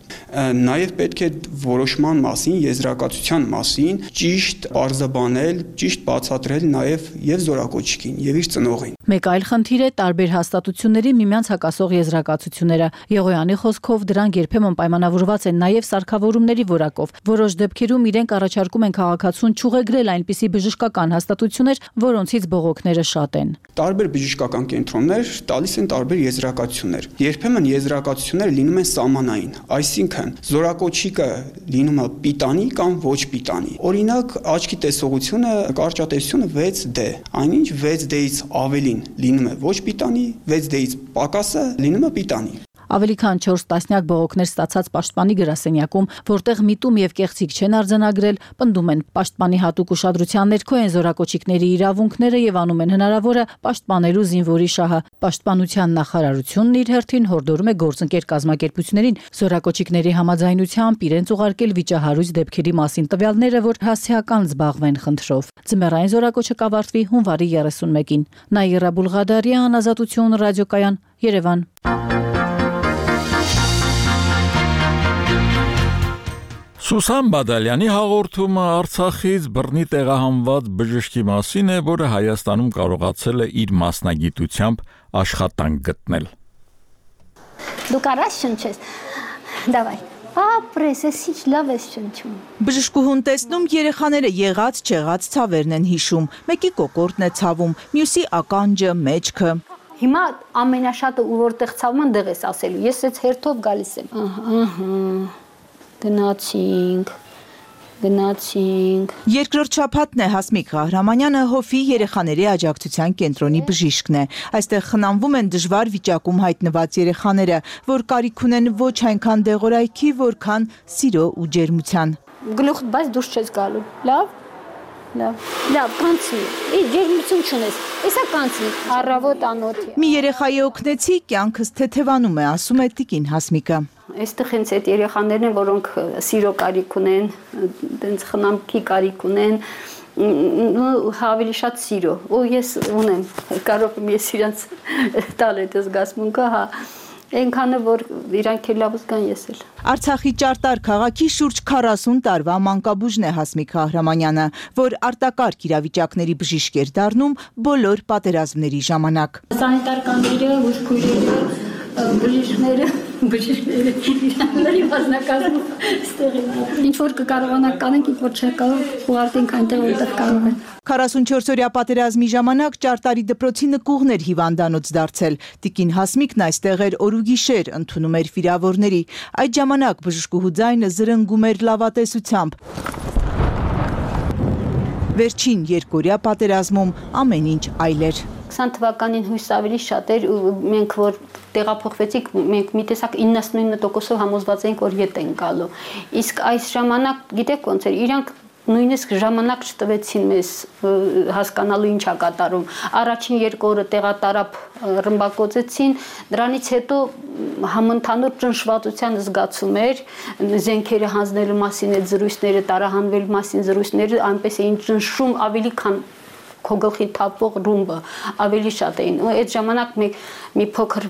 Նաեւ պետք է որոշման մասին, եզրակացության մասին ճիշտ պարզաբանել, ճիշտ բացատրել նաեւ եւ զորակոչիկին եւ իր ծնողին։ Մեկ այլ խնդիր է տարբեր հաստատությունների միմյանց հակասող եզրակացությունները։ Եղոյանի խոսքով դրանք երբեմն պայմանավորված են նաեւ սարքավորումների որակով։ Որոշ դեպքերում իրենք առաջարկում են քաղաքացուն չուղեգրել այնպիսի բժշկական հաստատություններ, որոնցից բողոքները շատ են։ Տարբեր բժշկական կենտրոններ տալիս են տարբեր եզրակացություններ։ Երբեմն եզրակացությունները լինում են սահմանային, այսինքն զորակոչիկը լինում է պիտանի կամ ոչ պիտանի։ Օրինակ, աչքի տեսողությունը, կարճատեսությունը վեց դե, այնինչ վեց դեից ավելին լինում է ոչ պիտանի, վեց դեից պակասը լինում է պիտանի։ Ավելի քան չորս տասնյակ բողոքներ ստացած պաշտպանի գրասենյակում, որտեղ միտում եւ կեղծիք չեն արձանագրել, պնդում են պաշտպանի հատուկ ուշադրության ներքո են զորակոչիկների իրավունքները եւ անում են հնարավորը պաշտպանելու զինվորի շահը։ Պաշտպանության նախարարությունն իր հերթին հորդորում է գործընկեր կազմակերպություններին զորակոչիկների համաձայնությամբ իրենց ուղարկել վիճահարույց դեպքերի մասին տվյալները, որ հասցեական զբաղվեն խնդրով։ Ձմեռային զորակոչը կավարտվի հունվարի երեսունմեկին։ Նաիրա Բուլղադարյան, Ազատություն, ռադիոկայան, Երևան։ Սուսան Բադալյանի հաղորդումը Արցախից բռնի տեղահանված բժշկի մասին է, որը Հայաստանում կարողացել է իր մասնագիտությամբ աշխատանք գտնել։ Դու կարաս շնչես։ Դավայ։ Ապրես, ես ինչ լավ ես շնչում։ Բժշկուհուն տեսնում երեխաները եղած չեղած ցավերն են հիշում։ Մեկի կոկորդն է ցավում, մյուսի ականջը, մեջքը։ Հիմա ամենաշատը ու որտեղ ցավում են դեղ ես ասելու։ Ես այս հերթով գալիս եմ։ Ահա։ Գնացինք, գնացինք։ Երկրորդ շաբաթն է Հասմիկ Ղահրամանյանը Հոֆի երեխաների աջակցության կենտրոնի բժիշկն է։ Այստեղ խնամվում են դժվար վիճակում հայտնված երեխաները, որ կարիք ունեն ոչ այնքան դեղորայքի, որքան սիրո ու ջերմության։ Գլուխդ բայց դուրս չես գալու։ Լավ։ Լավ, լավ, կանցնի։ Ի ջերմություն չունես։ Էսա կանցնի։ Առավոտ անոթի։ Մի երեխայի օգնեցի, կյանքս թեթևանում է, ասում է տիկին Հասմիկը։ Այստեղ հենց այդ երեխաներն են, որոնք սիրո կարիք ունեն, տենց խնամքի կարիք ունեն, ավելի շատ սիրո։ Ու ես ունեմ, կարող եմ ես իրանց տալ այդ զգացմունքը, հա։ Այնքանը որ իրանք էլ լավ զգան ես էլ։ Արցախի Ճարտար քաղաքի շուրջ քառասուն տարվա մանկաբույժն է Հասմիկ Ղահրամանյանը, որ արտակարգ իրավիճակների բժիշկ էր դառնում բոլոր պատերազմների ժամանակ։ Սանիտարկանները, բուժքույրերը, բժիշկները, բժիշկները իրանների մասնակազմում ստեղի։ Ինչ որ կկարողանանք կանենք, ինչ որ չկարող ուղարկենք այնտեղ որտեղ կարող են։ քառասունչորս-օրյա պատերազմի ժամանակ Ճարտարի դպրոցի նկուղն էր հիվանդանոց դարձել։ Տիկին Հասմիկն այստեղ էր օր ու գիշեր, ընդունում էր վիրավորների։ Այդ ժամանակ բժշկուհու ձայնը զրնգում էր լավատեսությամբ։ Վերջին երկօրյա պատերազմում ամեն ինչ այլ էր։ քսան թվականին հույս ավելի շատ էր ու մենք որ տեղափոխվեցինք մենք մի տեսակ իննսունինը տոկոսով համոզված էինք որ ետ են գալու իսկ այս ժամանակ գիտեք ոնց էր իրանք նույնիսկ ժամանակ չտվեցին մեզ հասկանալու ինչ է կատարում առաջին երկու օրը տեղատարապ ռմբակոծեցին դրանից հետո համընդհանուր ճնշվածության զգացում էր զենքերը հանձնելու մասին այդ զրույցները տարահանվելու մասին զրույցները այնպես էին ճնշում ավելի քան քո գլխի թափող ռումբը ավելի շատ էին ու այդ ժամանակ մենք մի փոքր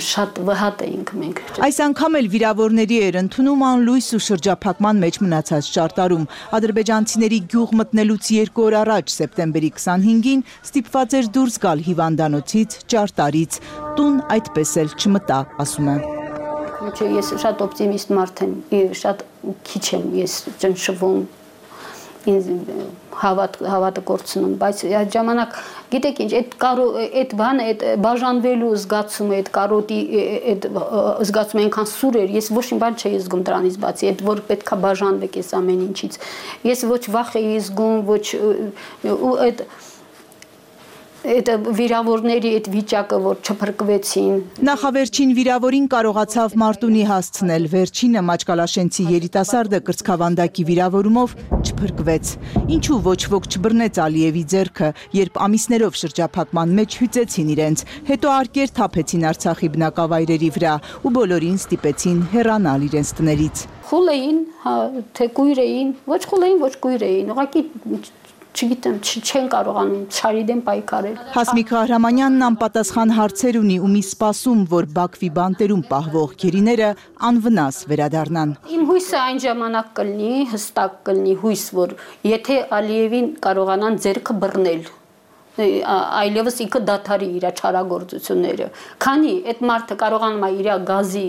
շատ վհատ էինք մենք Այս անգամ էլ վիրավորների էր ընդունում անլույս ու շրջափակման մեջ մնացած ճարտարում ադրբեջանցիների գյուղ մտնելուց երկու օր առաջ սեպտեմբերի քսանհինգին ստիպված էր դուրս գալ հիվանդանոցից ճարտարից տուն այդպես էլ չմտա ասում է Չէ ես շատ օպտիմիստ մարդ եմ շատ քիչ եմ ես ճնշվում հավատ հավատը կորցնում բայց այդ ժամանակ գիտեք ինչ այդ կարո այդ բանը այդ բաժանվելու զգացումը այդ կարոտի այդ զգացումը այնքան սուր էր ես ոչ մի բան չէի զգում դրանից բացի այդ որ պետքա բաժանվեք այս ամեն ինչից ես ոչ վախ էի զգում ոչ ու այդ Այդ վիրավորների այդ վիճակը որ չփրկվեցին Նախավերջին վիրավորին կարողացավ Մարտունի հասցնել վերջինը Մաչկալաշենցի երիտասարդը կրծքավանդակի վիրավորումով չփրկվեց Ինչու ոչ ոք չբռնեց Ալիևի ձեռքը երբ ամիսներով շրջափակման մեջ հյուծեցին իրենց հետո արկեր թափեցին Արցախի բնակավայրերի վրա ու բոլորին ստիպեցին հեռանալ իրենց տներից Խուլ էին թե կույր էին ոչ խուլ էին ոչ կույր էին ուղղակի չգիտեմ, չեն կարողանում չարի դեմ պայքարել։ Հասմիկ Ղահրամանյանն անպատասխան հարցեր ունի ու մի սպասում, որ Բաքվի բանտերում պահվող գերիները անվնաս վերադառնան։ Իմ հույսը այն ժամանակ կլինի, հստակ կլինի հույս, որ եթե Ալիևին կարողանան ձեռքը բռնել, այլևս ինքը դադարի իր չարագործությունները։ Քանի այդ մարդը կարողանում է իր գազի,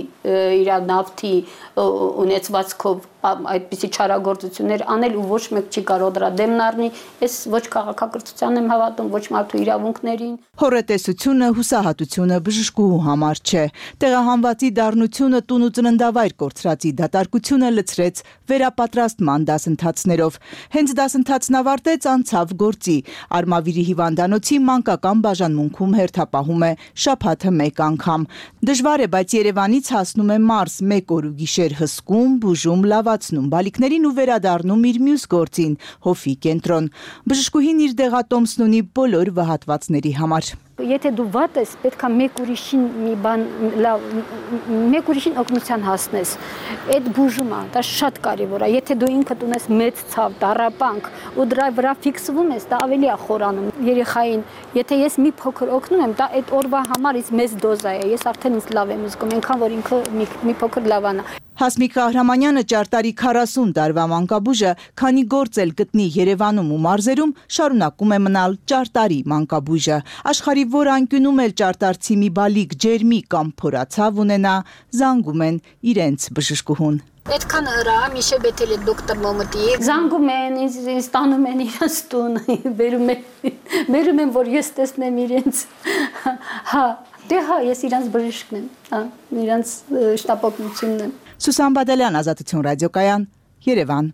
իր նավթի ունեցվածքով այդպիսի չարագործություններ անել ու ոչ մեկ չի կարող դրա դեմն առնի, ես ոչ քաղաքակրթության եմ հավատում, ոչ մարդու իրավունքներին։ Հորետեսությունը, հուսահատությունը բժշկուհու համար չէ։ Տեղահանվածի դառնությունը տուն ու ծննդավայր կորցրածի դատարկությունը լցրեց վերապատրաստման դասընթացներով։ Հենց դասընթացն ավարտեց անցավ գործի։ Արմավիրի հիվանդանոցի մանկական բաժանմունքում հերթապահում է շաբաթը մեկ անգամ։ Դժվար է, բայց Երևանից հասնում է Մարս մեկ օր ու գիշեր հսկում, բուժում, լավացնում բալիկներին ու վերադառնում իր մյուս գործին՝ հովի կենտրոն։ Բժշկուհին իր դեղատոմսն ունի բոլոր վհատվածների համար։ Եթե դու վատ ես, պետք է մեկ ուրիշին մի բան լավ, մեկ ուրիշին օգնության հասնես։ Այդ բուժումը, դա շատ կարևոր է։ Եթե դու ինքդ ունես մեծ ցավ, տառապանք ու դրա վրա ֆիքսվում ես, դա ավելի է խորանում երեխային։ Եթե ես մի փոքր օգնում եմ, դա այդ օրվա համար ինձ մեծ դոզա է։ Ես արդեն ինձ լավ եմ զգում, այնքան որ ինքը մի, մի փոքր լավանա։ Հասմիկ Ղահրամանյանը ճարտարի քառասուն տարվա մանկաբույժը, քանի գործ էլ գտնի Երևանում ու մարզերում, շարունակում է մնալ ճարտարի մանկաբույժը։ Աշխարհի որ անկյունում էլ ճարտարցի մի բալիկ ջերմի կամ փորացավ ունենա, զանգում են իրենց բժշկուհուն։ Այդքան հրա, միշե բետել է դոկտոր Մոմտի։ Զանգում են, ինձ տանում են իրենց տուն, բերում են, բերում են, որ ես տեսնեմ իրենց։ Հա, դե հա, ես իրենց բժիշկն եմ, հա, իրենց շտապօգնությունն եմ։ Սուսան Բադալյան, Ազատություն ռադիոկայան, Երևան։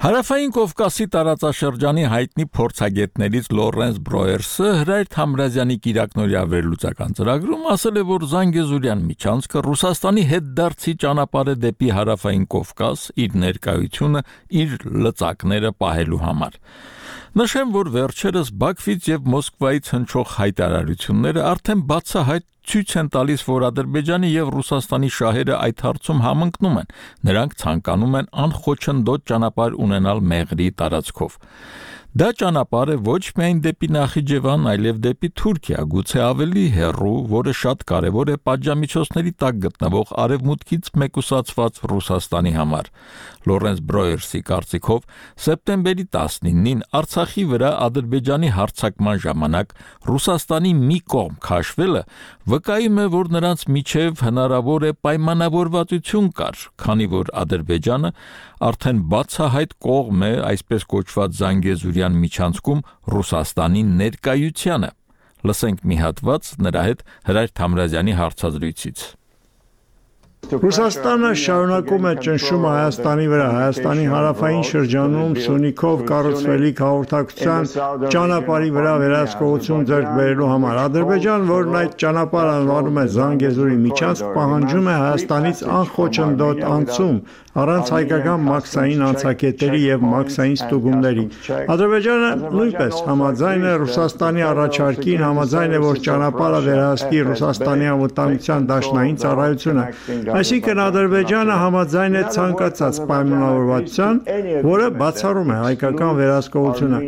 Հարավային Կովկասի տարածաշրջանի հայտնի փորձագետներից Լորենս Բրոերսը Հրայր Թամրազյանի կիրակնօրյա վերլուծական ծրագրում ասել է, որ Զանգեզուրյան միջանցքը Ռուսաստանի հետդարձի ճանապարհ է դեպի Հարավային Կովկաս իր ներկայությունը, իր լծակները պահելու համար։ Նշեմ, որ վերջերս Բաքվից եւ Մոսկվայից հնչող հայտարարությունները արդեն բացահայտ ցույց են տալիս, որ Ադրբեջանի եւ Ռուսաստանի շահերը այդ հարցում համընկնում են։ Նրանք ցանկանում են անխոչնդոտ ճանապարհ ունենալ Մեղրի տարածքով։ Դա ճանապարհ է ոչ միայն դեպի Նախիջևան, այլև դեպի Թուրքիա, գուցե ավելի հեռու, որը շատ կարևոր է պատժամիջոցների տակ գտնվող արևմուտքից մեկուսացված Ռուսաստանի համար։ Լորենս Բրոերսի կարծիքով սեպտեմբերի տասնինին Արցախի վրա Ադրբեջանի հարձակման ժամանակ Ռուսաստանի մի կողմ քաշվելը վկայում է, որ նրանց միջև հնարավոր է պայմանավորվածություն կար, քանի որ Ադրբեջանը արդեն բացահայտ կողմ է այսպես կոչված Զանգեզուրյան միջանցքում Ռուսաստանի ներկայությանը։ Լսենք մի հատված նրա հետ Հրայր Թամրազյանի հարցազրույցից։ Ռուսաստանը շարունակում է ճնշումը Հայաստանի վրա, Հայաստանի հարավային շրջանում Սյունիքով կառուցվելիք հաղորդակցության ճանապարհի վրա վերահսկողություն ձեռք բերելու համար։ Ադրբեջան, որն այդ ճանապարհը անվանում է Զանգեզուրի միջանցք, պահանջում է Հայաստանից անխոչնդոտ անցում առանց հայկական մաքսային անցակետերի եւ մաքսային ստուգումների։ Ադրբեջանը նույնպես համաձայն է Ռուսաստանի առաջարկին, համաձայն է, որ ճանապարհը վերահսկի Ռուսաստանի անվտանգության դաշնային ծառայությունը։ Այսինքն Ադրբեջանը համաձայն է ցանկացած պայմանավորվածության, որը բացառում է հայկական վերահսկողությունը։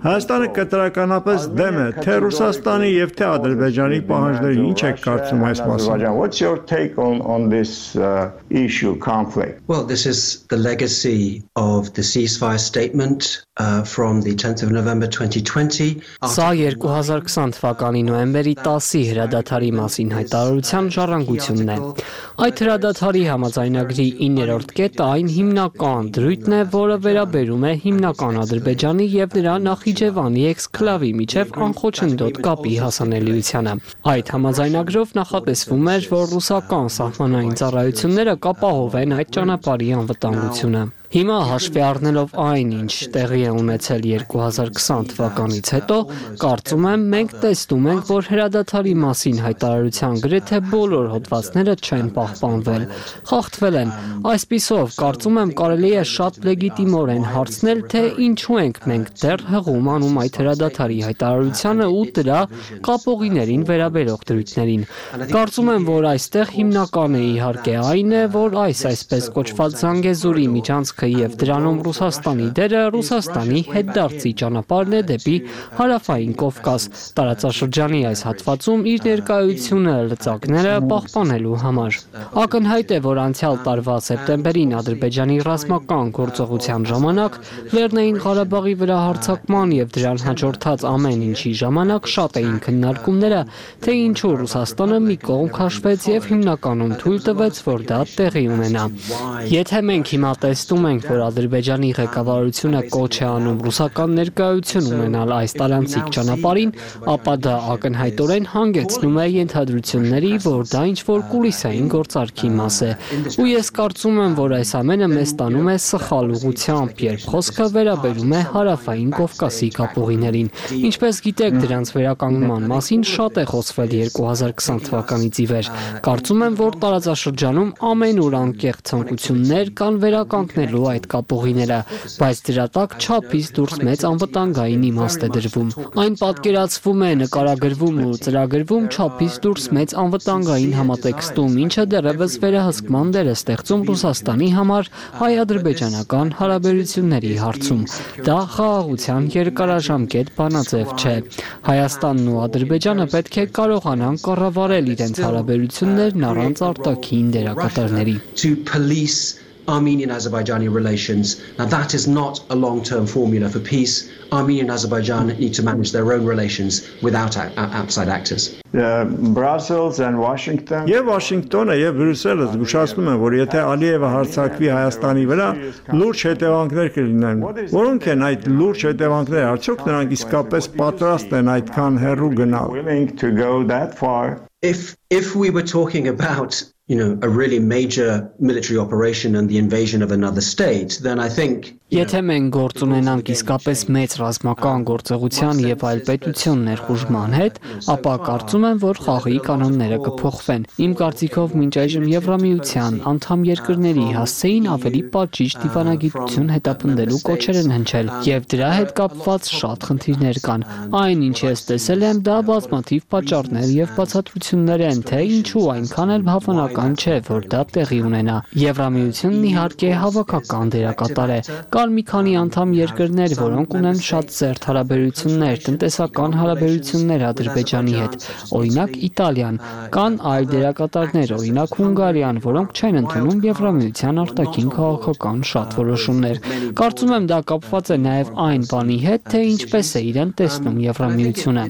Հայաստանը կտրականապես դեմ է թե Ռուսաստանի եւ թե Ադրբեջանի պահանջների։ Ինչ եք կարծում այս մասին։ What's your take on on this uh, issue conflict? Well, this is the legacy of the ceasefire statement uh, from the tenth of November twenty twenty. Սա երկու հազար քսան թվականի նոյեմբերի տասի հրադադարի մասին հայտարարության ժառանգությունն է։ Այդ հրադադարի համաձայնագրի իններորդ կետը այն հիմնական դրույթն է, որը վերաբերում է հիմնական Ադրբեջանի եւ նրա Նախիջևանի էքսկլավի միջև անխոչնդոտ կապի հասանելիությանը։ Այդ համաձայնագրով նախատեսվում էր, որ ռուսական սահմանային ծառայությունները կապահովեն այդ ճանապարհի անվտանգությունը։ Հիմա հաշվի առնելով այն, ինչ տեղի է ունեցել երկու հազար քսան թվականից հետո, կարծում եմ մենք տեսնում ենք, որ հրադադարի մասին հայտարարության գրեթե բոլոր հոդվածները չեն պահպանվել, խախտվել են։ Այսպիսով, կարծում եմ կարելի է շատ լեգիտիմորեն հարցնել, թե ինչու ենք մենք դեռ հղում անում այդ հրադադարի հայտարարությանը ու դրա կապողիներին վերաբերող դրույթներին։ Կարծում եմ, որ այստեղ հիմնականը իհարկե այն է, որ այս այսպես կոչված Զանգեզուրի միջանցք եւ դրանում Ռուսաստանի դերը Ռուսաստանի հետդարձի ճանապարհն է դեպի հարավային Կովկաս, տարածաշրջանի այս հատվածում իր ներկայությունը լծակները պահպանելու համար։ Ակնհայտ է, որ անցյալ տարվա սեպտեմբերին Ադրբեջանի ռազմական գործողության ժամանակ Լեռնային Ղարաբաղի վրա հարձակման եւ դրան հաջորդած ամեն ինչի ժամանակ շատ էին քննարկումները, թե ինչու Ռուսաստանը մի կողմ քաշվեց եւ հիմնականում թույլ տվեց, որ դա տեղի ունենա։ Եթե մենք հիմա տեսնում ենք, որ Ադրբեջանի ղեկավարությունը կոչ է անում ռուսական ներկայություն ունենալ այս տարանցիկ ճանապարհին, ապա դա ակնհայտորեն հանգեցնում է ենթադրությունների, որ դա ինչ-որ կուլիսային գործարքի մաս է։ Ու ես կարծում եմ, որ այս ամենը մեզ տանում է սխալ ուղղությամբ, երբ խոսքը վերաբերում է հարավային Կովկասի կապուղիներին։ Ինչպես գիտեք, դրանց վերականգնման մասին շատ է խոսվել երկու հազար քսան թվականից ի վեր։ Կարծում եմ, որ տարածաշրջանում ամենուր անկեղծ ցանկություններ կան վերականգնելու այդ կապուղիները, բայց դրա տակ չափից դուրս մեծ անվտանգային իմաստ է դրվում։ Այն պատկերացվում է, նկարագրվում ու ծրագրվում չափից դուրս մեծ անվտանգային համատեքստում, ինչը դեռևս վերահսկման դեր է ստեղծում Ռուսաստանի համար հայ-ադրբեջանական հարաբերությունների հարցում։ Դա խաղաղության երկարաժամկետ բանաձև չէ։ Հայաստանն ու Ադրբեջանը պետք է կարողանան կառավարել իրենց հարաբերություններն առանց արտաքին դերակատարների։ Armenian-Azerbaijani relations. Now that is not a long-term formula for peace. Armenia and Azerbaijan need to manage their own relations without outside actors. Uh, Brussels and Washington. Եվ Վաշինգտոնը եւ Բրյուսելը զգուշացնում են, որ եթե Ալիևը հարձակվի Հայաստանի վրա, լուրջ հետևանքներ կլինեն։ Որոնք են այդ լուրջ հետևանքները? Արդյոք նրանք իսկապես պատրաստ են այդքան հեռու գնալ։ If if we were talking about you know, a really major military operation and the invasion of another state, then I think Եթե մենք գործ ունենանք իսկապես մեծ ռազմական գործողության եւ այլ պետություն ներխուժման հետ, ապա կարծում եմ, որ խաղի կանոնները կփոխվեն։ Իմ կարծիքով մինչ այժմ Եվրամիության անդամ երկրների հասցեին ավելի պատժիչ դիվանագիտություն հետապնդելու կոչեր են հնչել, եւ դրա հետ կապված շատ խնդիրներ կան։ Այն, ինչ ես տեսել եմ, դա բազմաթիվ պատճառներ եւ բացատրություններ են, թե ինչու այնքան էլ հավանական չէ, որ դա տեղի ունենա։ Եվրամիությունն իհարկե հավաքական դերակատար է։ Կան մի քանի անդամ երկրներ, որոնք ունեն շատ ծերտ հարաբերություններ, տնտեսական հարաբերություններ Ադրբեջանի հետ, օրինակ Իտալիան, կան այլ դերակատարներ, օրինակ Հունգարիան, որոնք չեն ընդունում Եվրամիության արտաքին քաղաքական շատ որոշումներ։ Կարծում եմ դա կապված է նաև այն բանի հետ, թե ինչպես է իրեն տեսնում Եվրամիությունը։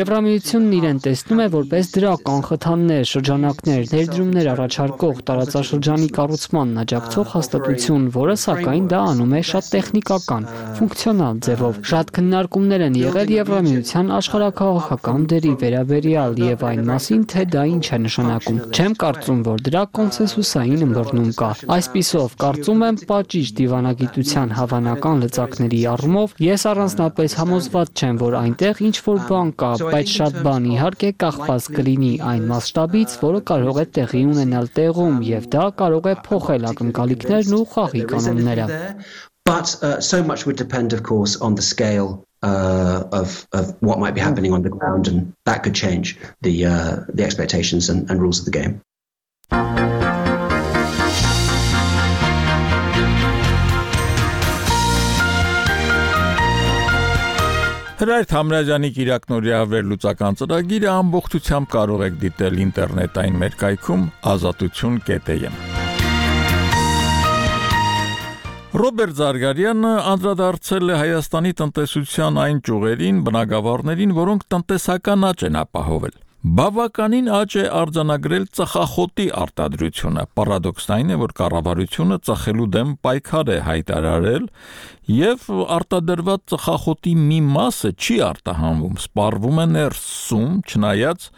Եվրամիությունն իրեն տեսնում է որպես դրական խթաններ, շրջանակներ, ներդրումներ առաջարկող տարածաշրջանի կառուցմանն աջակցող հաստատություն, որը սակայն դա անում է շատ տեխնիկական, ֆունկցիոնալ ձևով։ Շատ քննարկումներ են եղել Եվրամիության աշխարհաքաղաքական դերի վերաբերյալ եւ այն մասին, թե դա ինչ է նշանակում։ Չեմ կարծում, որ դրա կոնսենսուսային ըմբռնում կա։ Այսպիսով, կարծում եմ, պատիժ դիվանագիտության հավանական լծակների առումով ես առանձնապես համոզված չեմ, որ այնտեղ ինչ որ բան կա, բայց շատ բան իհարկե կախված կլինի այն մասշտաբից, որը կարող է տեղի ունենալ տեղում, եւ դա կարող է փոխել ակնկալիքներն ու խաղի կանոնները։ But uh, so much would depend, of course, on the scale uh, of of what might be happening on the ground, and that could change the uh, the expectations and, and rules of the game. Հրայր Թամրազյանի Կիրակնորիա վերլուծական ծրագիրը ամբողջությամբ կարող եք դիտել ինտերնետային մեր կայքում ազատություն կետ է եմ։ Ռոբերտ Զարգարյանը անդրադարձել է Հայաստանի տնտեսության այն ճյուղերին, բնագավառներին, որոնք տնտեսական աճ են ապահովել։ Բավականին աճ է արձանագրել ծխախոտի արտադրությունը։ Պարադոքսն այն է, որ կառավարությունը ծխելու դեմ պայքար է հայտարարել եւ արտադրված ծխախոտի մի մասը չի արտահանվում, սպառվում է ներսում, չնայած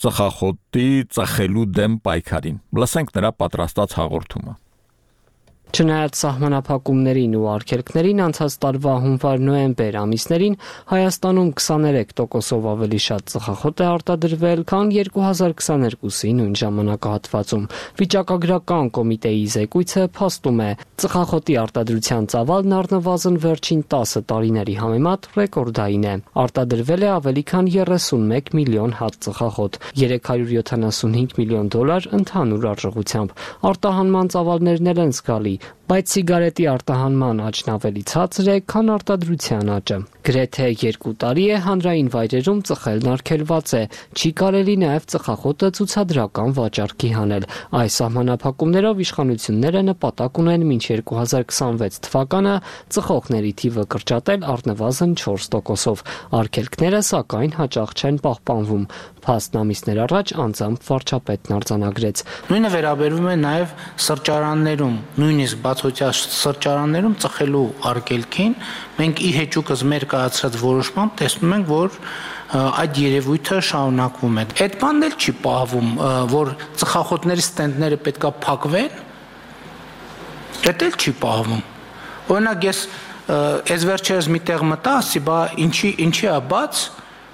ծխախոտի ծխելու դեմ պայքարին։ Լսենք նրա պատրաստած հաղորդումը։ Չնայած սահմանափակումներին ու արգելքներին անցած տարվա հունվար-նոյեմբեր ամիսներին Հայաստանում քսաներեք տոկոսով ավելի շատ ծխախոտ է արտադրվել, քան երկու հազար քսաներկուսի նույն ժամանակահատվածում։ Վիճակագրական կոմիտեի զեկույցը փաստում է, ծխախոտի արտադրության ծավալն առնվազն վերջին տասը տարիների համեմատ ռեկորդային է։ Արտադրվել է ավելի քան երեսունմեկ միլիոն հատ ծխախոտ, երեք հարյուր յոթանասունհինգ միլիոն դոլար ընդհանուր արժողությամբ։ Արտահանման ծավալներն էլ են զգալի, բայց սիգարետի արտահանման աճն ավելի ցածր է, քան արտադրության աճը։ Գրեթե երկու տարի է հանրային վայրերում ծխելն արգելված է, չի կարելի նաև ծխախոտը ցուցադրական վաճառքի հանել։ Այս սահմանափակումներով իշխանությունները նպատակ ունեն մինչ երկու հազար քսանվեց թվականը ծխողների թիվը կրճատել առնվազն չորս տոկոսով։ Արգելքները սակայն հաճախ չեն պահպանվում։ Փաստն ամիսներ առաջ անձամբ վարչապետն արձանագրեց։ Նույնը վերաբերվում է նաև սրճարաններում, նույնիսկ բացօթյա սրճարաններում ծխելու արգելքին մենք ի հեճուկս մեր կայացրած որոշմամբ տեսնում ենք, որ այդ երևույթը շարունակվում է։ Այդ բանն էլ չի պահվում, որ ծխախոտների ստենդները պետքա փակվեն։ Դա էլ չի պահվում։ Օրինակ ես այս վերջերս մի տեղ մտա, ասի, բա ինչի ինչի է բաց։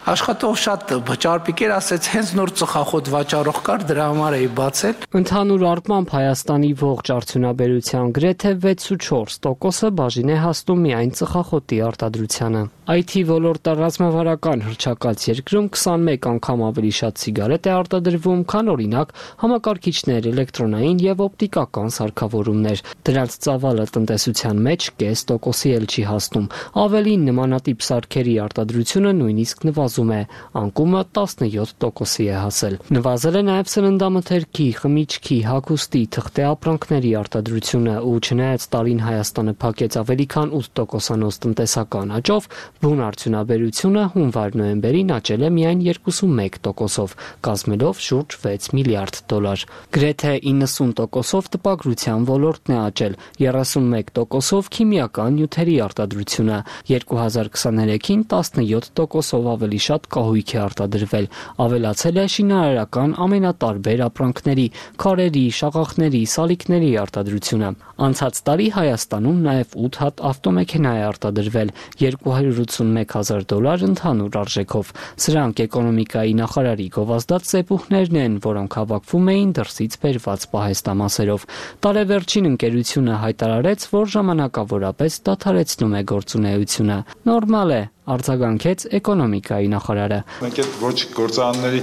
Աշխատող շատ ճարպիկեր ասեց, հենց նոր ծխախոտ վաճառող կար, դրա համար էի բացել։ Ընդհանուր առմամբ Հայաստանի ողջ արդյունաբերության գրեթե վեցուչորս տոկոսը բաժին է հասնում միայն ծխախոտի արտադրությանը։ Այ թի ոլորտը ռազմավարական հռչակած երկրում քսանմեկ անգամ ավելի շատ սիգարետ է արտադրվում, քան օրինակ համակարգիչներ, էլեկտրոնային եւ օպտիկական սարքավորումներ։ Դրանց ծավալը տնտեսության մեջ կես տոկոսի էլ չի հասնում։ Ավելին նմանատիպ սարքերի արտադրությունը նույնիսկ նվազում է, անկումը տասնյոթ տոկոսի է հասել։ Նվազել է նաև սննդամթերքի, խմիչքի, հագուստի, թղթե ապրանքների արտադրությունը, ու չնայած տարին Հայաստանը փակեց ավելի քան ութ տոկոսանոց տնտեսական աճով, բուն արդյունաբերությունը հունվար-նոյեմբերին աճել է միայն երկուսունմեկ տոկոսով, կազմելով շուրջ վեց միլիարդ դոլար։ Գրեթե իննսուն տոկոսով տպագրության ոլորտն է աճել, երեսունմեկ տոկոսով քիմիական նյութերի արտադրությունը, երկու հազար քսաներեքին տասնյոթ տոկոսով ավելի շատ կահույք է արտադրվել, ավելացել է շինարարական ամենատարբեր ապրանքների, քարերի, շաղախների, սալիկների արտադրությունը։ Անցած տարի Հայաստանում նաև ութ հատ ավտոմեքենա է արտադրվել, երկու հարյուր ութսունմեկ հազար դոլար ընդհանուր արժեքով։ Սրանք էկոնոմիկայի նախարարի գովազդած սեպուհներն են, որոնք հավաքվում էին դրսից բերված պահեստամասերով։ Տարեվերջին ընկերությունը հայտարարեց, որ ժամանակավորապես դադարեցնում է գործունեությունը։ Նորմալ է, արձագանքեց էկոնոմիկայի նախարարը։ Մենք այդ ոչ գործարանների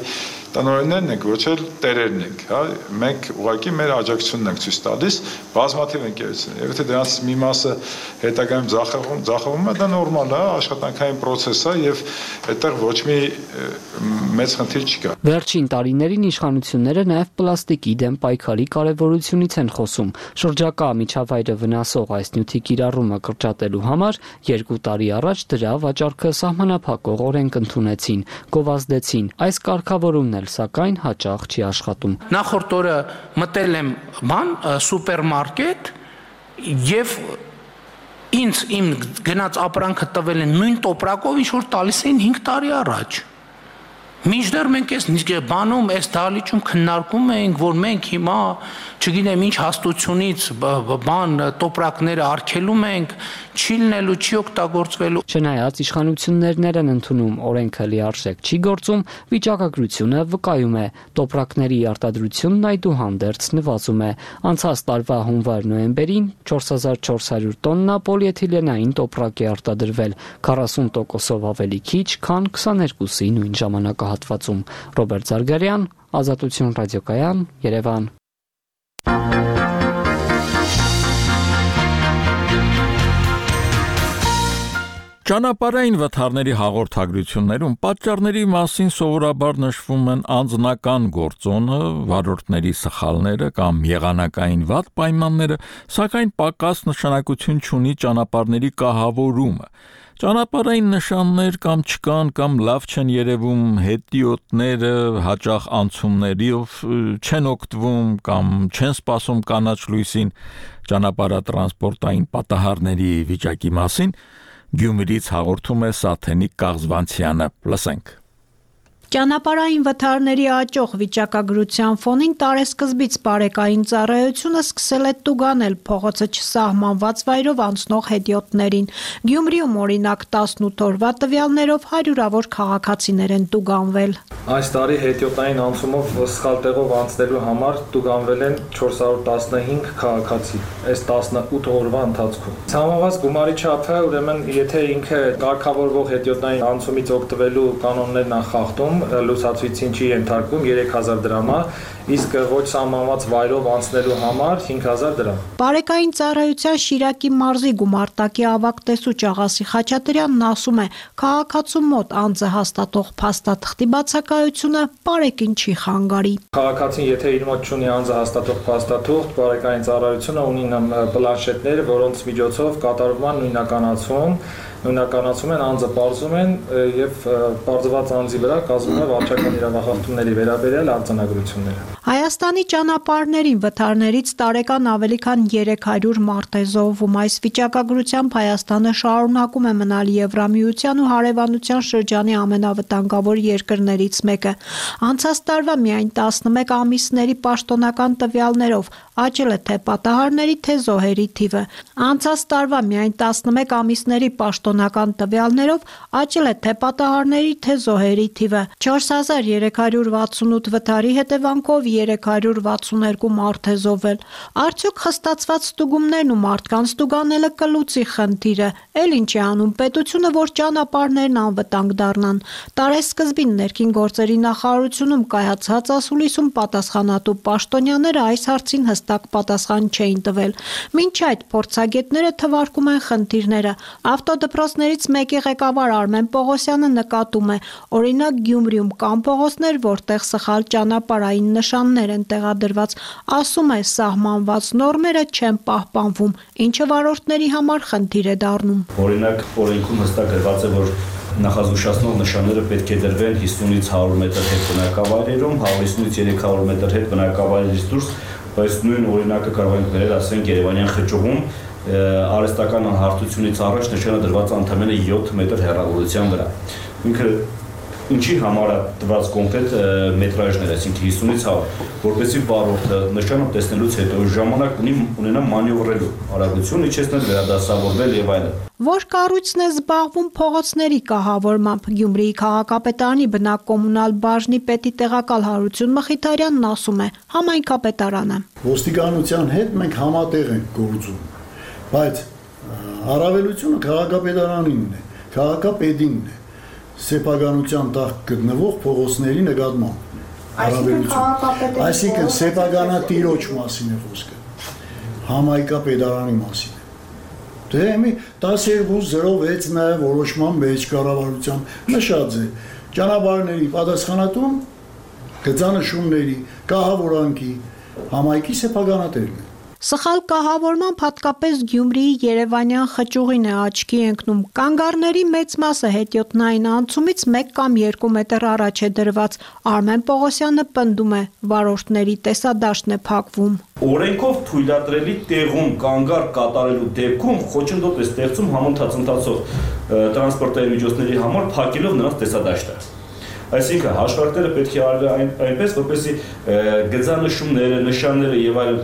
տնօրեններն ենք, ոչ էլ տերերն ենք, հա, մենք ուղղակի մեր աջակցությունն ենք ցույց տալիս բազմաթիվ ընկերություններ։ Եթե դրանց մի մասը հետագայում ձախողում, ձախողում է, դա նորմալ է, աշխատանքային process է եւ այդտեղ ոչ մի մեծ խնդիր չկա։ Վերջին տարիներին իշխանությունները նաև պլաստիկի դեմ պայքարի կարևորությունից են խոսում։ Շրջակա միջավայրը վնասող այս նյութի կիրառումը կրճատելու համար երկու տարի առաջ դրա վաճառքը սահմանափակող օրենք ընդունեցին, գովազդեցին։ Այս կարգավորումները էլ սակայն հաճախ չի աշխատում։ Նախորդ օրը մտել եմ բան սուպերմարկետ եւ ինձ իմ գնաց ապրանքը տվել են նույն տոպրակով, ինչ որ տալիս էին հինգ տարի առաջ։ Մինչդեռ մենք այս բանում, այս դահլիճում քննարկում ենք, որ մենք հիմա, չգիտեմ ինչ հաստությունից բան տոպրակները արգելում ենք, չի լինելու, չի օգտագործվելու։ Չնայած իշխանություններն են ընդունում օրենքը լիարժեք չի գործում, վիճակագրությունը վկայում է, տոպրակների արտադրությունն այդուհանդերձ նվազում է։ Անցած տարվա հունվար-նոյեմբերին չորս հազար չորս հարյուր տոննա պոլիէթիլենային տոպրակ է արտադրվել, քառասուն տոկոսով ավելի քիչ, քան քսաներկուսի նույն ժամանակահատվածում։ Ռոբերտ Զարգարյան, Ազատություն ռադիոկայան, Երևան։ Ճանապարհային վթարների հաղորդագրություններում պատճառների մասին սովորաբար նշվում են անձնական գործոնը, վարորդների սխալները կամ եղանակային վատ պայմանները, սակայն պակաս նշանակություն չունի ճանապարհների կահավորումը։ Ճանապարհային նշաններ կամ չկան կամ լավ չեն երևում, հետիոտները հաճախ անցումներով չեն օգտվում կամ չեն սպասում կանաչ լույսին, ճանապարհատրանսպորտային պատահարների վիճակի մասին Գյումրիից հաղորդում է Սաթենիկ Կաղզվանցյանը, լսենք։ Ճանապարհային վթարների աճող վիճակագրության ֆոնին տարեսկզբից բարեկային ծառայությունը սկսել է տուգանել փողոցը չսահմանված վայրով անցնող հետիոտներին։ Գյումրիում օրինակ տասնութ օրվա տվյալներով հարյուրավոր քաղաքացիներ են տուգանվել։ Այս տարի հետիոտային անցումով սխալ տեղով անցնելու համար տուգանվել են չորս հարյուր տասնհինգ քաղաքացի այս տասնութ օրվա ընթացքում։ Սահմանված գումարի չափը, ուրեմն, եթե ինքը կարգավորվող հետիոտային անցումից օգտվելու կանոններն են խախտում, լուսացույցին չի ենթարկվում երեք հազար դրամ, իսկ ոչ սահմանված վայրով անցնելու համար հինգ հազար դրամ։ Բարեկային ծառայության Շիրակի մարզի գումարտակի ավագ տեսուչ Աղասի Խաչատրյանն ասում է, քաղաքացու մոտ անձը հաստատող փաստաթղթի բացակայությունը բարեկին չի խանգարի։ Քաղաքացին եթե իր մոտ չունի անձը հաստատող փաստաթուղթ, բարեկային ծառայությունը ունի պլանշետներ, որոնց միջոցով կատարվում է նույնականացում նույնականացում են, անձը պարզում են եւ պարզված անձի վրա կազմում է վարչական իրավախախտումների վերաբերյալ արձանագրությունները։ Հայաստանի ճանապարհներին վթարներից տարեկան ավելի քան երեք հարյուր մարդ է զոհվում։ Այս վիճակագրությամբ Հայաստանը շարունակում է մնալ Եվրամիության ու հարևանության շրջանի ամենավտանգավոր երկրներից մեկը։ Անցած տարվա միայն տասնմեկ ամիսների պաշտոնական տվյալներով աճել է թե պատահարների, թե զոհերի թիվը։ Անցած տարվա միայն տասնմեկ ամիսների պաշտոնական տվյալներով աճել է թե պատահարների, թե զոհերի թիվը։ չորս հազար երեք հարյուր վաթսունութ վթարի հետևանքով երեք հարյուր վաթսուներկու մարդ է զոհվել։ Արդյոք խստացված ստուգումներն ու մարդկանց ստուգանելը կլուծի խնդիրը։ Էլ ինչ է անում պետությունը, որ ճանապարհներն անվտանգ դառնան։ Տարեսկզբին ներքին գործերի նախարարությունում կայացած ասուլիսում պատասխանատու պաշտոնյաները այս հարցին հստակ պատասխան չէին տվել։ Մինչ այդ փորձագետները թվարկում են խնդիրները։ Ավտոդպրոցներից մեկի ղեկավար Արմեն Պողոսյանը նկատում է, օրինակ Գյումրիում կան փողոցներ, որտեղ սխալ ճանապարհային նշաններ են տեղադրված, ասում է սահմանված նորմերը չեն պահպանվում, ինչը վարորդների համար խնդիր է դառնում։ Օրինակ օրենքում հստակ գրված է, որ նախազգուշացնող նշանները պետք է դրվեն հիսունից հարյուր մետր հետ բնակավայրերում, հիսունից երեք հարյուր մետր հետ բնակավայրերից դուրս, բայց նույն օրինակը կարող ենք վերել, ասենք Երևանյան խճուղում արհեստական անհարթությունից առաջ նշանը դրված ընդամենը յոթ մետր հեռավորության վրա։ Ինքը ինչի համար է տված կոնկրետ մետրաժներ, այսինքն հիսունից հարյուր, որպեսզի վարորդը նշանը տեսնելուց հետո ժամանակ ունի ունենա մանևրելու արագություն, իջեցնել, վերադասավորվել եւ այլն։ Որ կառույցն է զբաղվում փողոցների կահավորմամբ, Գյումրիի քաղաքապետարանի բնակկոմունալ բաժնի պետի տեղակալ Հարություն Մխիթարյանն ասում է, համայնքապետարանը։ Ոստիկանության հետ մենք համատեղ ենք գործում, բայց առավելությունը քաղաքապետարանինն է, քաղաքապետինն է, սեփականության տակ գտնվող փողոցների նկատմամբ առավելություն։ Այսինքն սեփականատիրոջ մասին է խոսքը, համայնքապետարանի մասին։ Դե մի տասներկու զրո վեց նաև որոշման մեջ կառավարության նշած է ճանապարհների պատասխանատուն գծանշումների կահավորանքի համայնքի սեփականատերն է։ Սխալ կահավորմամբ հատկապես Գյումրիի Երևանյան խճուղին է աչքի ընկնում։ Կանգառների մեծ մասը հետիոտնային անցումից մեկ կամ երկու մետր առաջ է դրված։ Արմեն Պողոսյանը պնդում է, վարորդների տեսադաշտն է փակվում։ Օրենքով թույլատրելի տեղում կանգառ կատարելու դեպքում խոչընդոտ է ստեղծում համընթաց ընթացող տրանսպորտային միջոցների համար փակելով նրանց տեսադաշտը։ Այսինքն հաշվարկները պետք է արվի այն, այնպես, որպեսզի գծանշումները, նշանները եւ այլն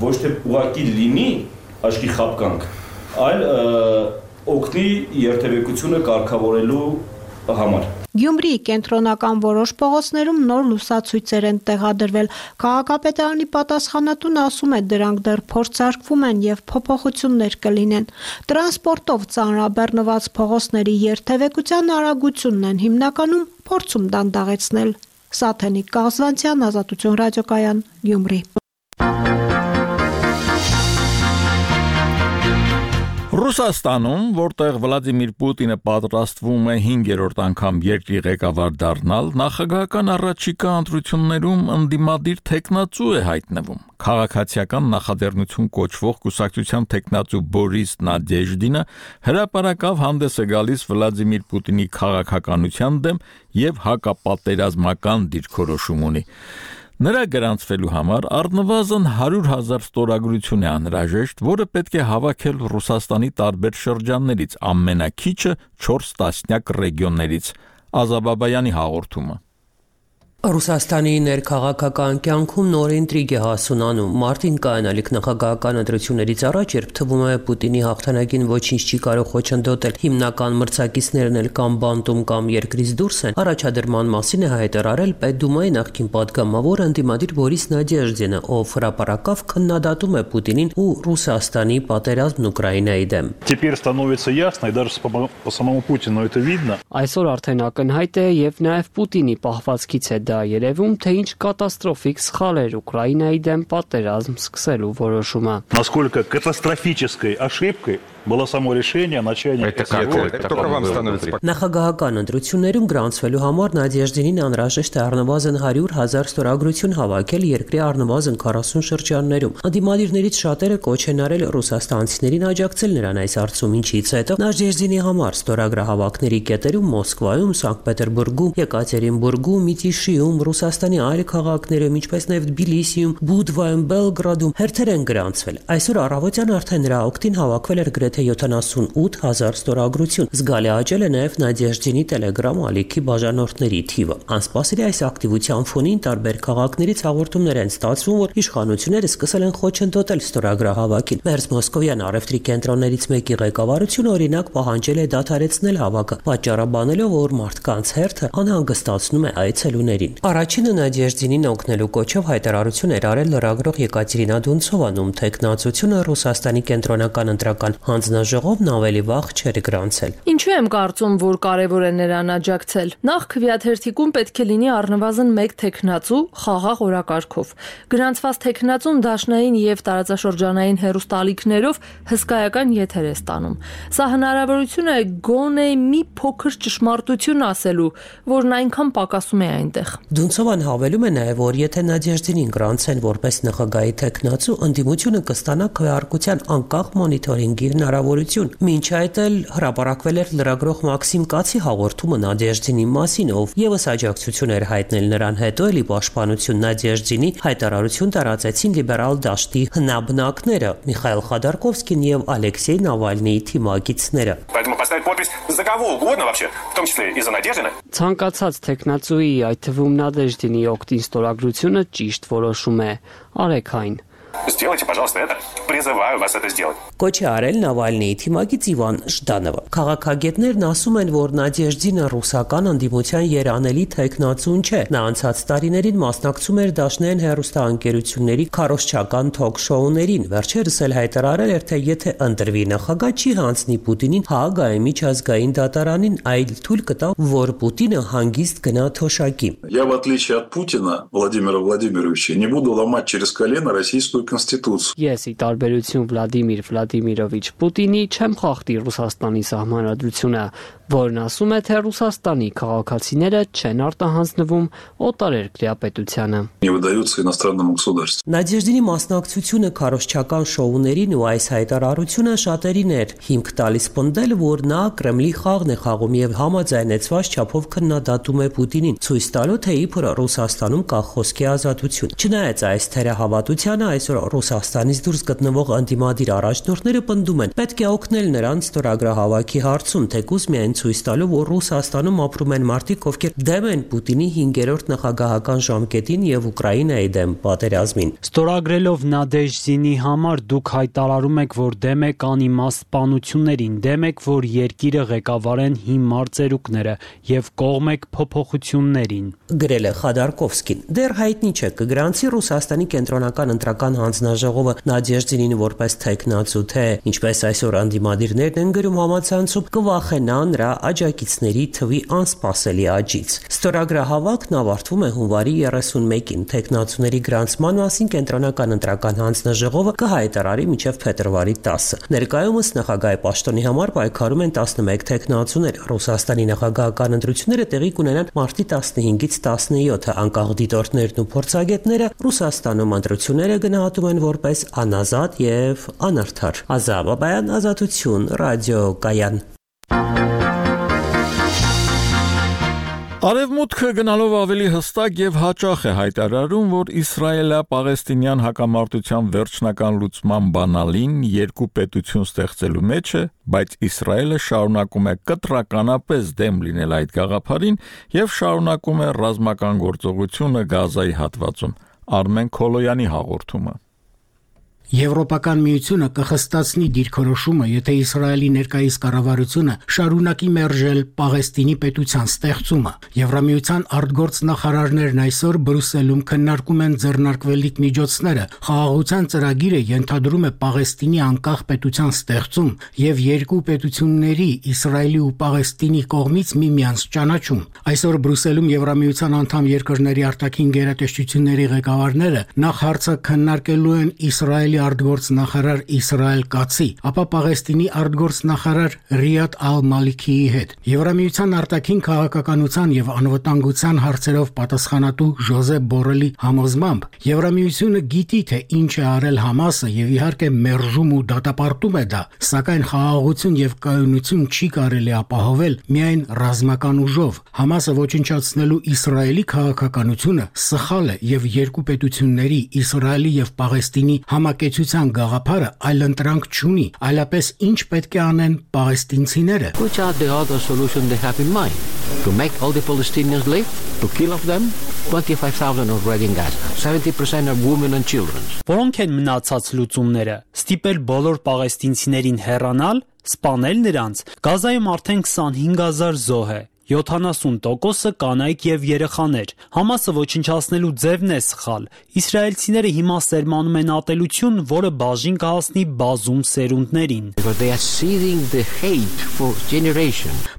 ոչ թե ուղղակի լինի աչքի խապկանք, այլ օգնի երթևեկությունը կարգավորելու համար։ Գյումրիի կենտրոնական որոշ փողոցներում նոր լուսացույցեր են տեղադրվել։ Քաղաքապետարանի պատասխանատուն ասում է, դրանք դեռ փորձարկվում են եւ փոփոխություններ կլինեն։ Տրանսպորտով ծանրաբեռնված փողոցների երթևեկության արագությունն են հիմնականում փորձում դանդաղեցնել։ Սաթենիկ Կաղզվանցյան, Ազատություն ռադիոկայան, Գյումրի։ Ռուսաստանում, որտեղ Վլադիմիր Պուտինը պատրաստվում է հինգերորդ անգամ երկրի ղեկավար դառնալ, նախագահական առաջիկա ընտրություններում ընդդիմադիր թեկնածու է հայտնվում։ Քաղաքացիական նախաձեռնություն կոչվող կուսակցության թեկնածու Բորիս Նադեժդինը հրապարակավ հանդես է գալիս Վլադիմիր Պուտինի քաղաքականության դեմ եւ հակապատերազմական դիրքորոշում ունի։ Նրա գրանցվելու համար առնվազն հարյուր հազար ստորագրություն է անհրաժեշտ, որը պետք է հավաքել Ռուսաստանի տարբեր շրջաններից, ամենաքիչը չորս տասնյակ ռեգիոններից։ Ազաբաբայանի հաղորդումը։ Ռուսաստանի ներքաղաքական կյանքում նոր ինտրիգ է հասունանում։ Մարտին կայանալիք նախագահական ընտրություններից առաջ, երբ թվում է Պուտինի հաղթանակին ոչինչ չի կարող խոչընդոտել, հիմնական մրցակիցներն էլ կամ բանտում կամ երկրից դուրս են, առաջադրման մասին է հայտարարել Պետդումայի նախկին պատգամավոր ընդդիմադիր Բորիս Նադեժդինը, ով հրապարակավ քննադատում է Պուտինին ու Ռուսաստանի պատերազմն Ուկրաինայի դեմ։ Теперь становится ясно, и даже по самому Путину это видно. Այսօր արդեն ակնհայտ է եւ նաեւ Պուտինի պահվածքից է դա երևում, թե ինչ կատաստրոֆիկ սխալ էր Ուկրաինայի դեմ պատերազմ սկսելու որոշումը։ Насколько катастрофической ошибкой было само решение о начале. Նախագահական ընտրություններում գրանցվելու համար Նադեժդինին անհրաժեշտ է առնվազն հարյուր հազար ստորագրություն հավաքել երկրի առնվազն քառասուն շրջաններում։ Անդիմադիրներից շատերը կոչ են արել ռուսաստանցիներին աջակցել նրան այս հարցում, ինչից հետո Նադեժդինի համար ստորագրահավաքների կետերում Մոսկվայում, Սանկտ Պետերբուրգում, Եկատերինբուրգում, Միտիշիում, Ռուսաստանի այլ քաղաքներում, ինչպես նաև Թբիլիսիում, Բուդվայում, Բելգրադում հերթեր են գրանցվել։ Այսօր առավոտյան արդեն նրա օգտին հավաքվել էր գրեթե յոթանասունութ հազար ստորագրություն։ Զգալի աճել է նաև Նադեժդինի Telegram ալիքի բաժանորդների թիվը։ Անսպասելի այս ակտիվության ֆոնին տարբեր քաղաքներից հաղորդումներ են ստացվում, որ իշխանությունները սկսել են խոչընդոտել ստորագրահավաքին։ Մերձ Մոսկովյան առևտրի կենտրոններից մեկի ղեկավարությունը օրինակ պահանջել է դադարեցնել հավաքը, պատճառաբանելով, որ մարդկանց հերթը անհանգստացնում է այցելուներին։ Առաջինը Նադեժդինին օգնելու կոչով հայտարարություն էր արել լրագրող Եկատերինա Դունցովան, ում թեկնածությունը Ռուսաստանի կենտրոնական ընտրական հանձնաժողովն ավելի վաղ չէր գրանցել։ Ինչու եմ կարծում, որ կարևոր է նրան աջակցել։ Նախ քվեաթերթիկում պետք է լինի առնվազն մեկ թեկնածու խաղաղ օրակարգով։ Գրանցված թեկնածուն դաշնային եւ տարածաշրջանային հեռուստալիքներով հսկայական եթեր է ստանում։ Սա հնարավորություն է գոնե մի փոքր ճշմարտություն ասելու, որն այնքան պակասում է այնտեղ։ Դունցովան հավելում է նաև, որ եթե Նադեժդինին գրանցեն որպես նախագահի թեկնածու, ընդդիմությունը կստանա քվեարկության անկախ մոնիթորինգի հնարավորություն։ Մինչ այդ էլ հրապարակվել էր լրագրող Մաքսիմ Կացի հաղորդումը Նադեժդինի մասին, ով եւս աջակցություն էր հայտնել նրան, հետո էլի պաշտպանություն Նադեժդինի հայտարարություն տարածեցին լիբերալ դաշտի հնաբնակները Միխայել Խոդորկովսկին եւ Ալեքսեյ Նավալնիի թիմակիցները։ Поэтому поставить подпись за кого угодно вообще, в том числе и за Надеждина. Ցանկացած թեկնածուի, այդ թվում Նադեժդինի օգտին ստորագրությունը ճիշտ որոշում է։ Արեք այն։ Сделайте, пожалуйста, это. Призываю вас это сделать. Կոչ է արել Նավալնիի թիմակից Իվան Ժդանովը։ Քաղաքագետներն ասում են, որ Նադեժդինը ռուսական ընդդիմության երանելի թեկնածուն չէ։ Նա անցած տարիներին մասնակցում էր դաշնային հեռուստաընկերությունների քարոզչական թոք-շոուներին։ Վերջերս էլ հայտարարել էր, թե եթե ընտրվի նախագահ, չի հանձնի Պուտինին Հաագայի միջազգային դատարանին, այլ թույլ կտա, որ Պուտինը հանգիստ գնա թոշակի։ Я, в отличие от Путина, Владимира Владимировича, не буду ломать через колено российскую Конституцию. Ես ի տարբերություն Վլադիմիր Վլադիմիրովիչ Պուտինի չեմ խախտի Ռուսաստանի սահմանադրությունը, որն ասում է, թե Ռուսաստանի քաղաքացիները չեն արտահանձնվում օտարերկրյա պետությանը։ Не выдаются иностранному государству. Նադեժդինի մասնակցությունը քարոզչական շոուներին ու այս հայտարարությունը շատերին էր հիմք տալիս պնդել, որ նա Կրեմլի խաղն է խաղում եւ համաձայնեցված չափով քննադատում է Պուտինին, ցույց տալու թե իբր Ռուսաստանում կա խոսքի ազատություն։ Չնայած այս թերահավատությանը, այսօր Ռուսաստանից դուրս գտնվող անդիմադիր առաջնորդները պնդում են, պետք է օգնել նրանց ստորագրահավաքի հարցում, թեկուզ միայն ցույց տալու, որ Ռուսաստանում ապրում են մարդիկ, ովքեր դեմ են Պուտինի հինգերորդ նախագահական ժամկետին եւ Ուկրաինայի դեմ պատերազմին։ Ստորագրելով Նադեժդինի համար դուք հայտարարում եք, որ դեմ եք անիմաստ սպանություններին, դեմ եք, որ երկիրը ղեկավարեն հիմար ծերուկները եւ կողմ եք փոփոխություններին։ Գրել է Խադարկովսկին։ Դեռ հայտնի չէ կգրանցի Ռուսաստանի կենտրոնական ընտրական հանձնաժողովը Նադեժդինին որպես թեկնածու, թե ինչպես այսօր անդիմադիրներն են գրում համացանցում, կվախենա նրա աջակիցների թվի անսպասելի աճից։ Ստորագրահավաքն ավարտվում է հունվարի երեսունմեկին։ Թեկնածուների գրանցման մասին կենտրոնական ընտրական հանձնաժողովը կհայտարարի մինչև փետրվարի տասը։ Ներկայումս նախագահի պաշտոնի համար պայքարում են տասնմեկ թեկնածուներ։ Ռուսաստանի նախագահական ընտրությունները տեղի կունենան մարտի տասնհինգից տասնյոթը։ Անկախ դիտորդներն ու փորձագետները Ռուսաստանում ընտրությունները գնահատում են որպես անազատ եւ անարդար։ Ազատ Բաբայան, Ազատություն, ռադիոկայան։ Արևմուտքը գնալով ավելի հստակ եւ հաճախ է հայտարարում, որ Իսրայելա-Պաղեստինյան հակամարտության վերջնական լուծման բանալին երկու պետություն ստեղծելու մեջ է, բայց Իսրայելը շարունակում է կտրականապես դեմ լինել այդ գաղափարին եւ շարունակում է ռազմական գործողությունը Գազայի հատվածում։ Արմեն Քոլոյանի հաղորդումը։ Եվրոպական միությունը կխստացնի դիրքորոշումը, եթե Իսրայելի ներկայիս կառավարությունը շարունակի մերժել Պաղեստինի պետության ստեղծումը։ Եվրամիության արտգործ նախարարներն այսօր Բրյուսելում քննարկում են ձեռնարկվելիք միջոցները։ Խաղաղության ծրագիրը ենթադրում է Պաղեստինի անկախ պետության ստեղծում եւ երկու պետությունների՝ Իսրայելի ու Պաղեստինի կողմից միմյանց ճանաչում։ Այսօր Բրյուսելում Եվրամիության անդամ երկրների արտաքին գերատեսչությունների ղեկավարները նախ հարցը քննարկելու են Իսրայելի արտգործ նախարար Իսրայել Կացի, ապա Պաղեստինի արտգործ նախարար Ռիադ Ալ-Մալիքիի հետ։ Եվրամիության արտաքին քաղաքականության եւ անվտանգության հարցերով պատասխանատու Ժոզեփ Բորելի համոզմամբ Եվրամիությունը գիտի, թե ինչ է արել Համասը եւ իհարկե մերժում ու դատապարտում է դա, սակայն խաղաղություն եւ կայունություն չի կարելի ապահովել միայն ռազմական ուժով։ Համասը ոչնչացնելու Իսրայելի քաղաքականությունը սխալ է եւ երկու պետությունների Իսրայելի եւ Պաղեստինի համակեցության գաղափարը այլընտրանք չունի, այլապես ինչ պետք է անեն պաղեստինցիները։ Which are the other solution they have in mind? To make all the Palestinians live? To kill off them? twenty-five thousand already in Gaza. seventy percent are women and children. Որոնք են մնացած լուծումները։ Ստիպել բոլոր պաղեստինցիներին հեռանալ, սպանել նրանց։ Գազայում արդեն քսանհինգ հազար զոհ է։ յոթանասուն տոկոսը կանայք եւ երեխաներ։ Համասը ոչնչացնելու ձևն է սխալ։ Իսրայելցիները հիմա սերմանում են ատելություն, որը բաժին կհասնի բազում սերունդներին։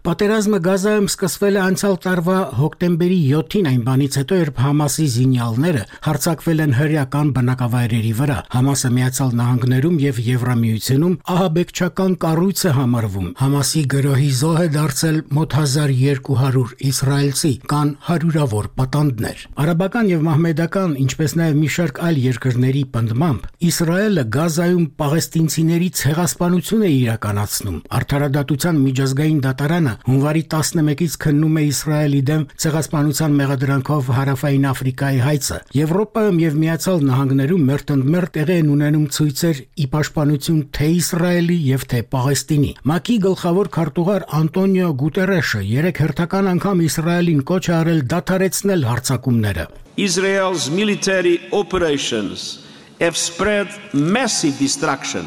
Պատերազմը Գազայում սկսվել է անցյալ տարվա հոկտեմբերի յոթին, այն բանից հետո, երբ Համասի զինյալները հարձակվել են հրեական բնակավայրերի վրա։ Համասը Միացյալ Նահանգներում եւ Եվրամիությունում ահաբեկչական կառույց է համարվում։ Համասի գրոհի զոհ է դարձել մոտ հազար երկու հարյուր իսրայելցի, կան հարյուրավոր պատանդներ։ Արաբական եւ մահմեդական, ինչպես նաեւ մի շարք այլ երկրների պնդմամբ, Իսրայելը Գազայում պաղեստինցիների ցեղասպանություն է իրականացնում։ Արդարադատության միջազգային դատարանը հունվարի տասնմեկից քննում է Իսրայելի դեմ ցեղասպանության մեղադրանքով Հարավային Աֆրիկայի հայցը։ Եվրոպայում եւ Միացյալ Նահանգներում մերթընդմերթ տեղի են ունենում ցույցեր ի պաշտպանություն թե Իսրայելի եւ թե Պաղեստինի։ ՄԱԿ-ի գլխավոր քարտուղար Անտոնիո Գուտերեշը երեք հերթական անգամ Իսրայելին կոչ է արել դադարեցնել հարձակումները։ Israel's military operations have spread massive destruction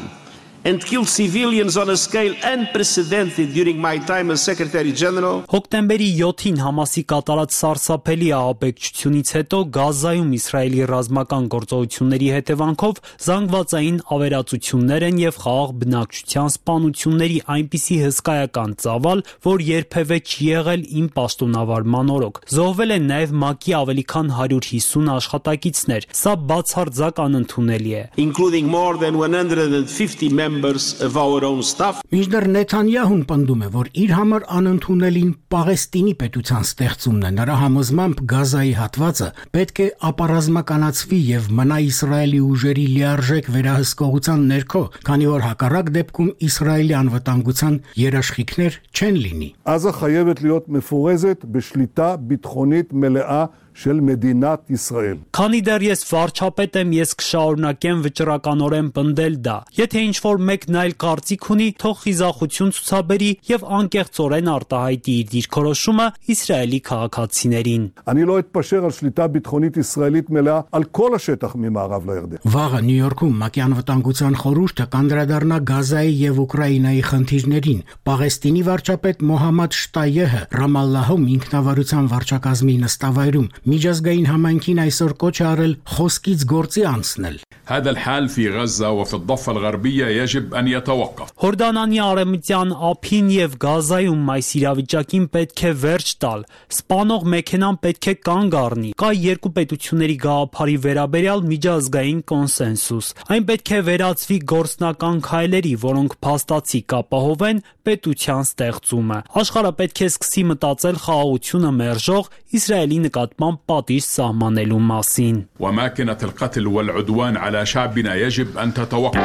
and killed civilians on a scale unprecedented during my time as Secretary General. Հոկտեմբերի յոթին Համասի կատարած սարսափելի ահաբեկչությունից հետո Գազայում Իսրայելի ռազմական գործողությունների հետևանքով զանգվածային ավերածություններ են եւ խաղաղ բնակչության սպանությունների այնպիսի հսկայական ծավալ, որ երբևէ չի եղել իմ պաշտոնավարման օրոք։ Զոհվել են նաեւ ՄԱԿ-ի ավելի քան հարյուր հիսուն աշխատակիցներ։ Սա բացարձակ անընդունելի է։ Including more than one hundred fifty members of our own staff. Մինչդեռ Նեթանյահուն պնդում է, որ իր համար անընդունելին Պաղեստինի պետության ստեղծումն է։ Նրա համոզմամբ Գազայի հատվածը պետք է ապառազմականացվի եւ մնա Իսրայելի ուժերի լիարժեք վերահսկողության ներքո, քանի որ հակառակ դեպքում Իսրայելի անվտանգության երաշխիքներ չեն լինի։ עזה חייבת להיות מפורזת בשליטה ביטחונית מלאה של מדינת ישראל. Քանի դեռ ես վարչապետ եմ, ես կշարունակեմ վճռականորեն պնդել դա։ Եթե ինչ-որ մեկն այլ կարծիք ունի, թող խիզախություն ցուցաբերի եւ անկեղծորեն արտահայտի իր դիրքորոշումը Իսրայելի քաղաքացիներին։ אני לא אתפשר על שליטה ביטחונית ישראלית מלאה על כל השטח ממערב לירדן. Վաղը Նյու Յորքում ՄԱԿ-ի անվտանգության խորհուրդը կանդրադառնա Գազայի եւ Ուկրաինայի խնդիրներին։ Պաղեստինի վարչապետ Մոհամմադ Շտայեհը Ռամալլահում ինքնավարության վարչակազմի նստավայրում միջազգային համայնքին այսօր կոչ է արել խոսքից գործի անցնել։ هذا الحال في غزة وفي الضفة الغربية يجب أن يتوقف. Հորդանանի արևմտյան ափին եւ Գազայում այս իրավիճակին պետք է վերջ տալ։ Սպանող մեքենան պետք է կանգ առնի։ Կա երկու պետությունների գաղափարի վերաբերյալ միջազգային կոնսենսուս։ Այն պետք է վերածվի գործնական քայլերի, որոնք փաստացի կապահովեն պետության ստեղծումը։ Աշխարհը պետք է սկսի մտածել խաղաղությունը մերժող Իսրայելի նկատմամբ պատիժ սահմանելու մասին։ وأماكن القتل والعدوان على شعبنا يجب أن تتوقف.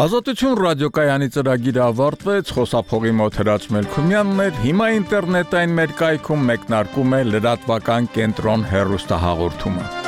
Ազատություն ռադիոկայանի ծրագիրը ավարտվեց, խոսափողի մոտ Հրաչ Մելքումյանն էր, հիմա ինտերնետային մեր կայքում մեկնարկում է լրատվական կենտրոն հեռուստահաղորդումը։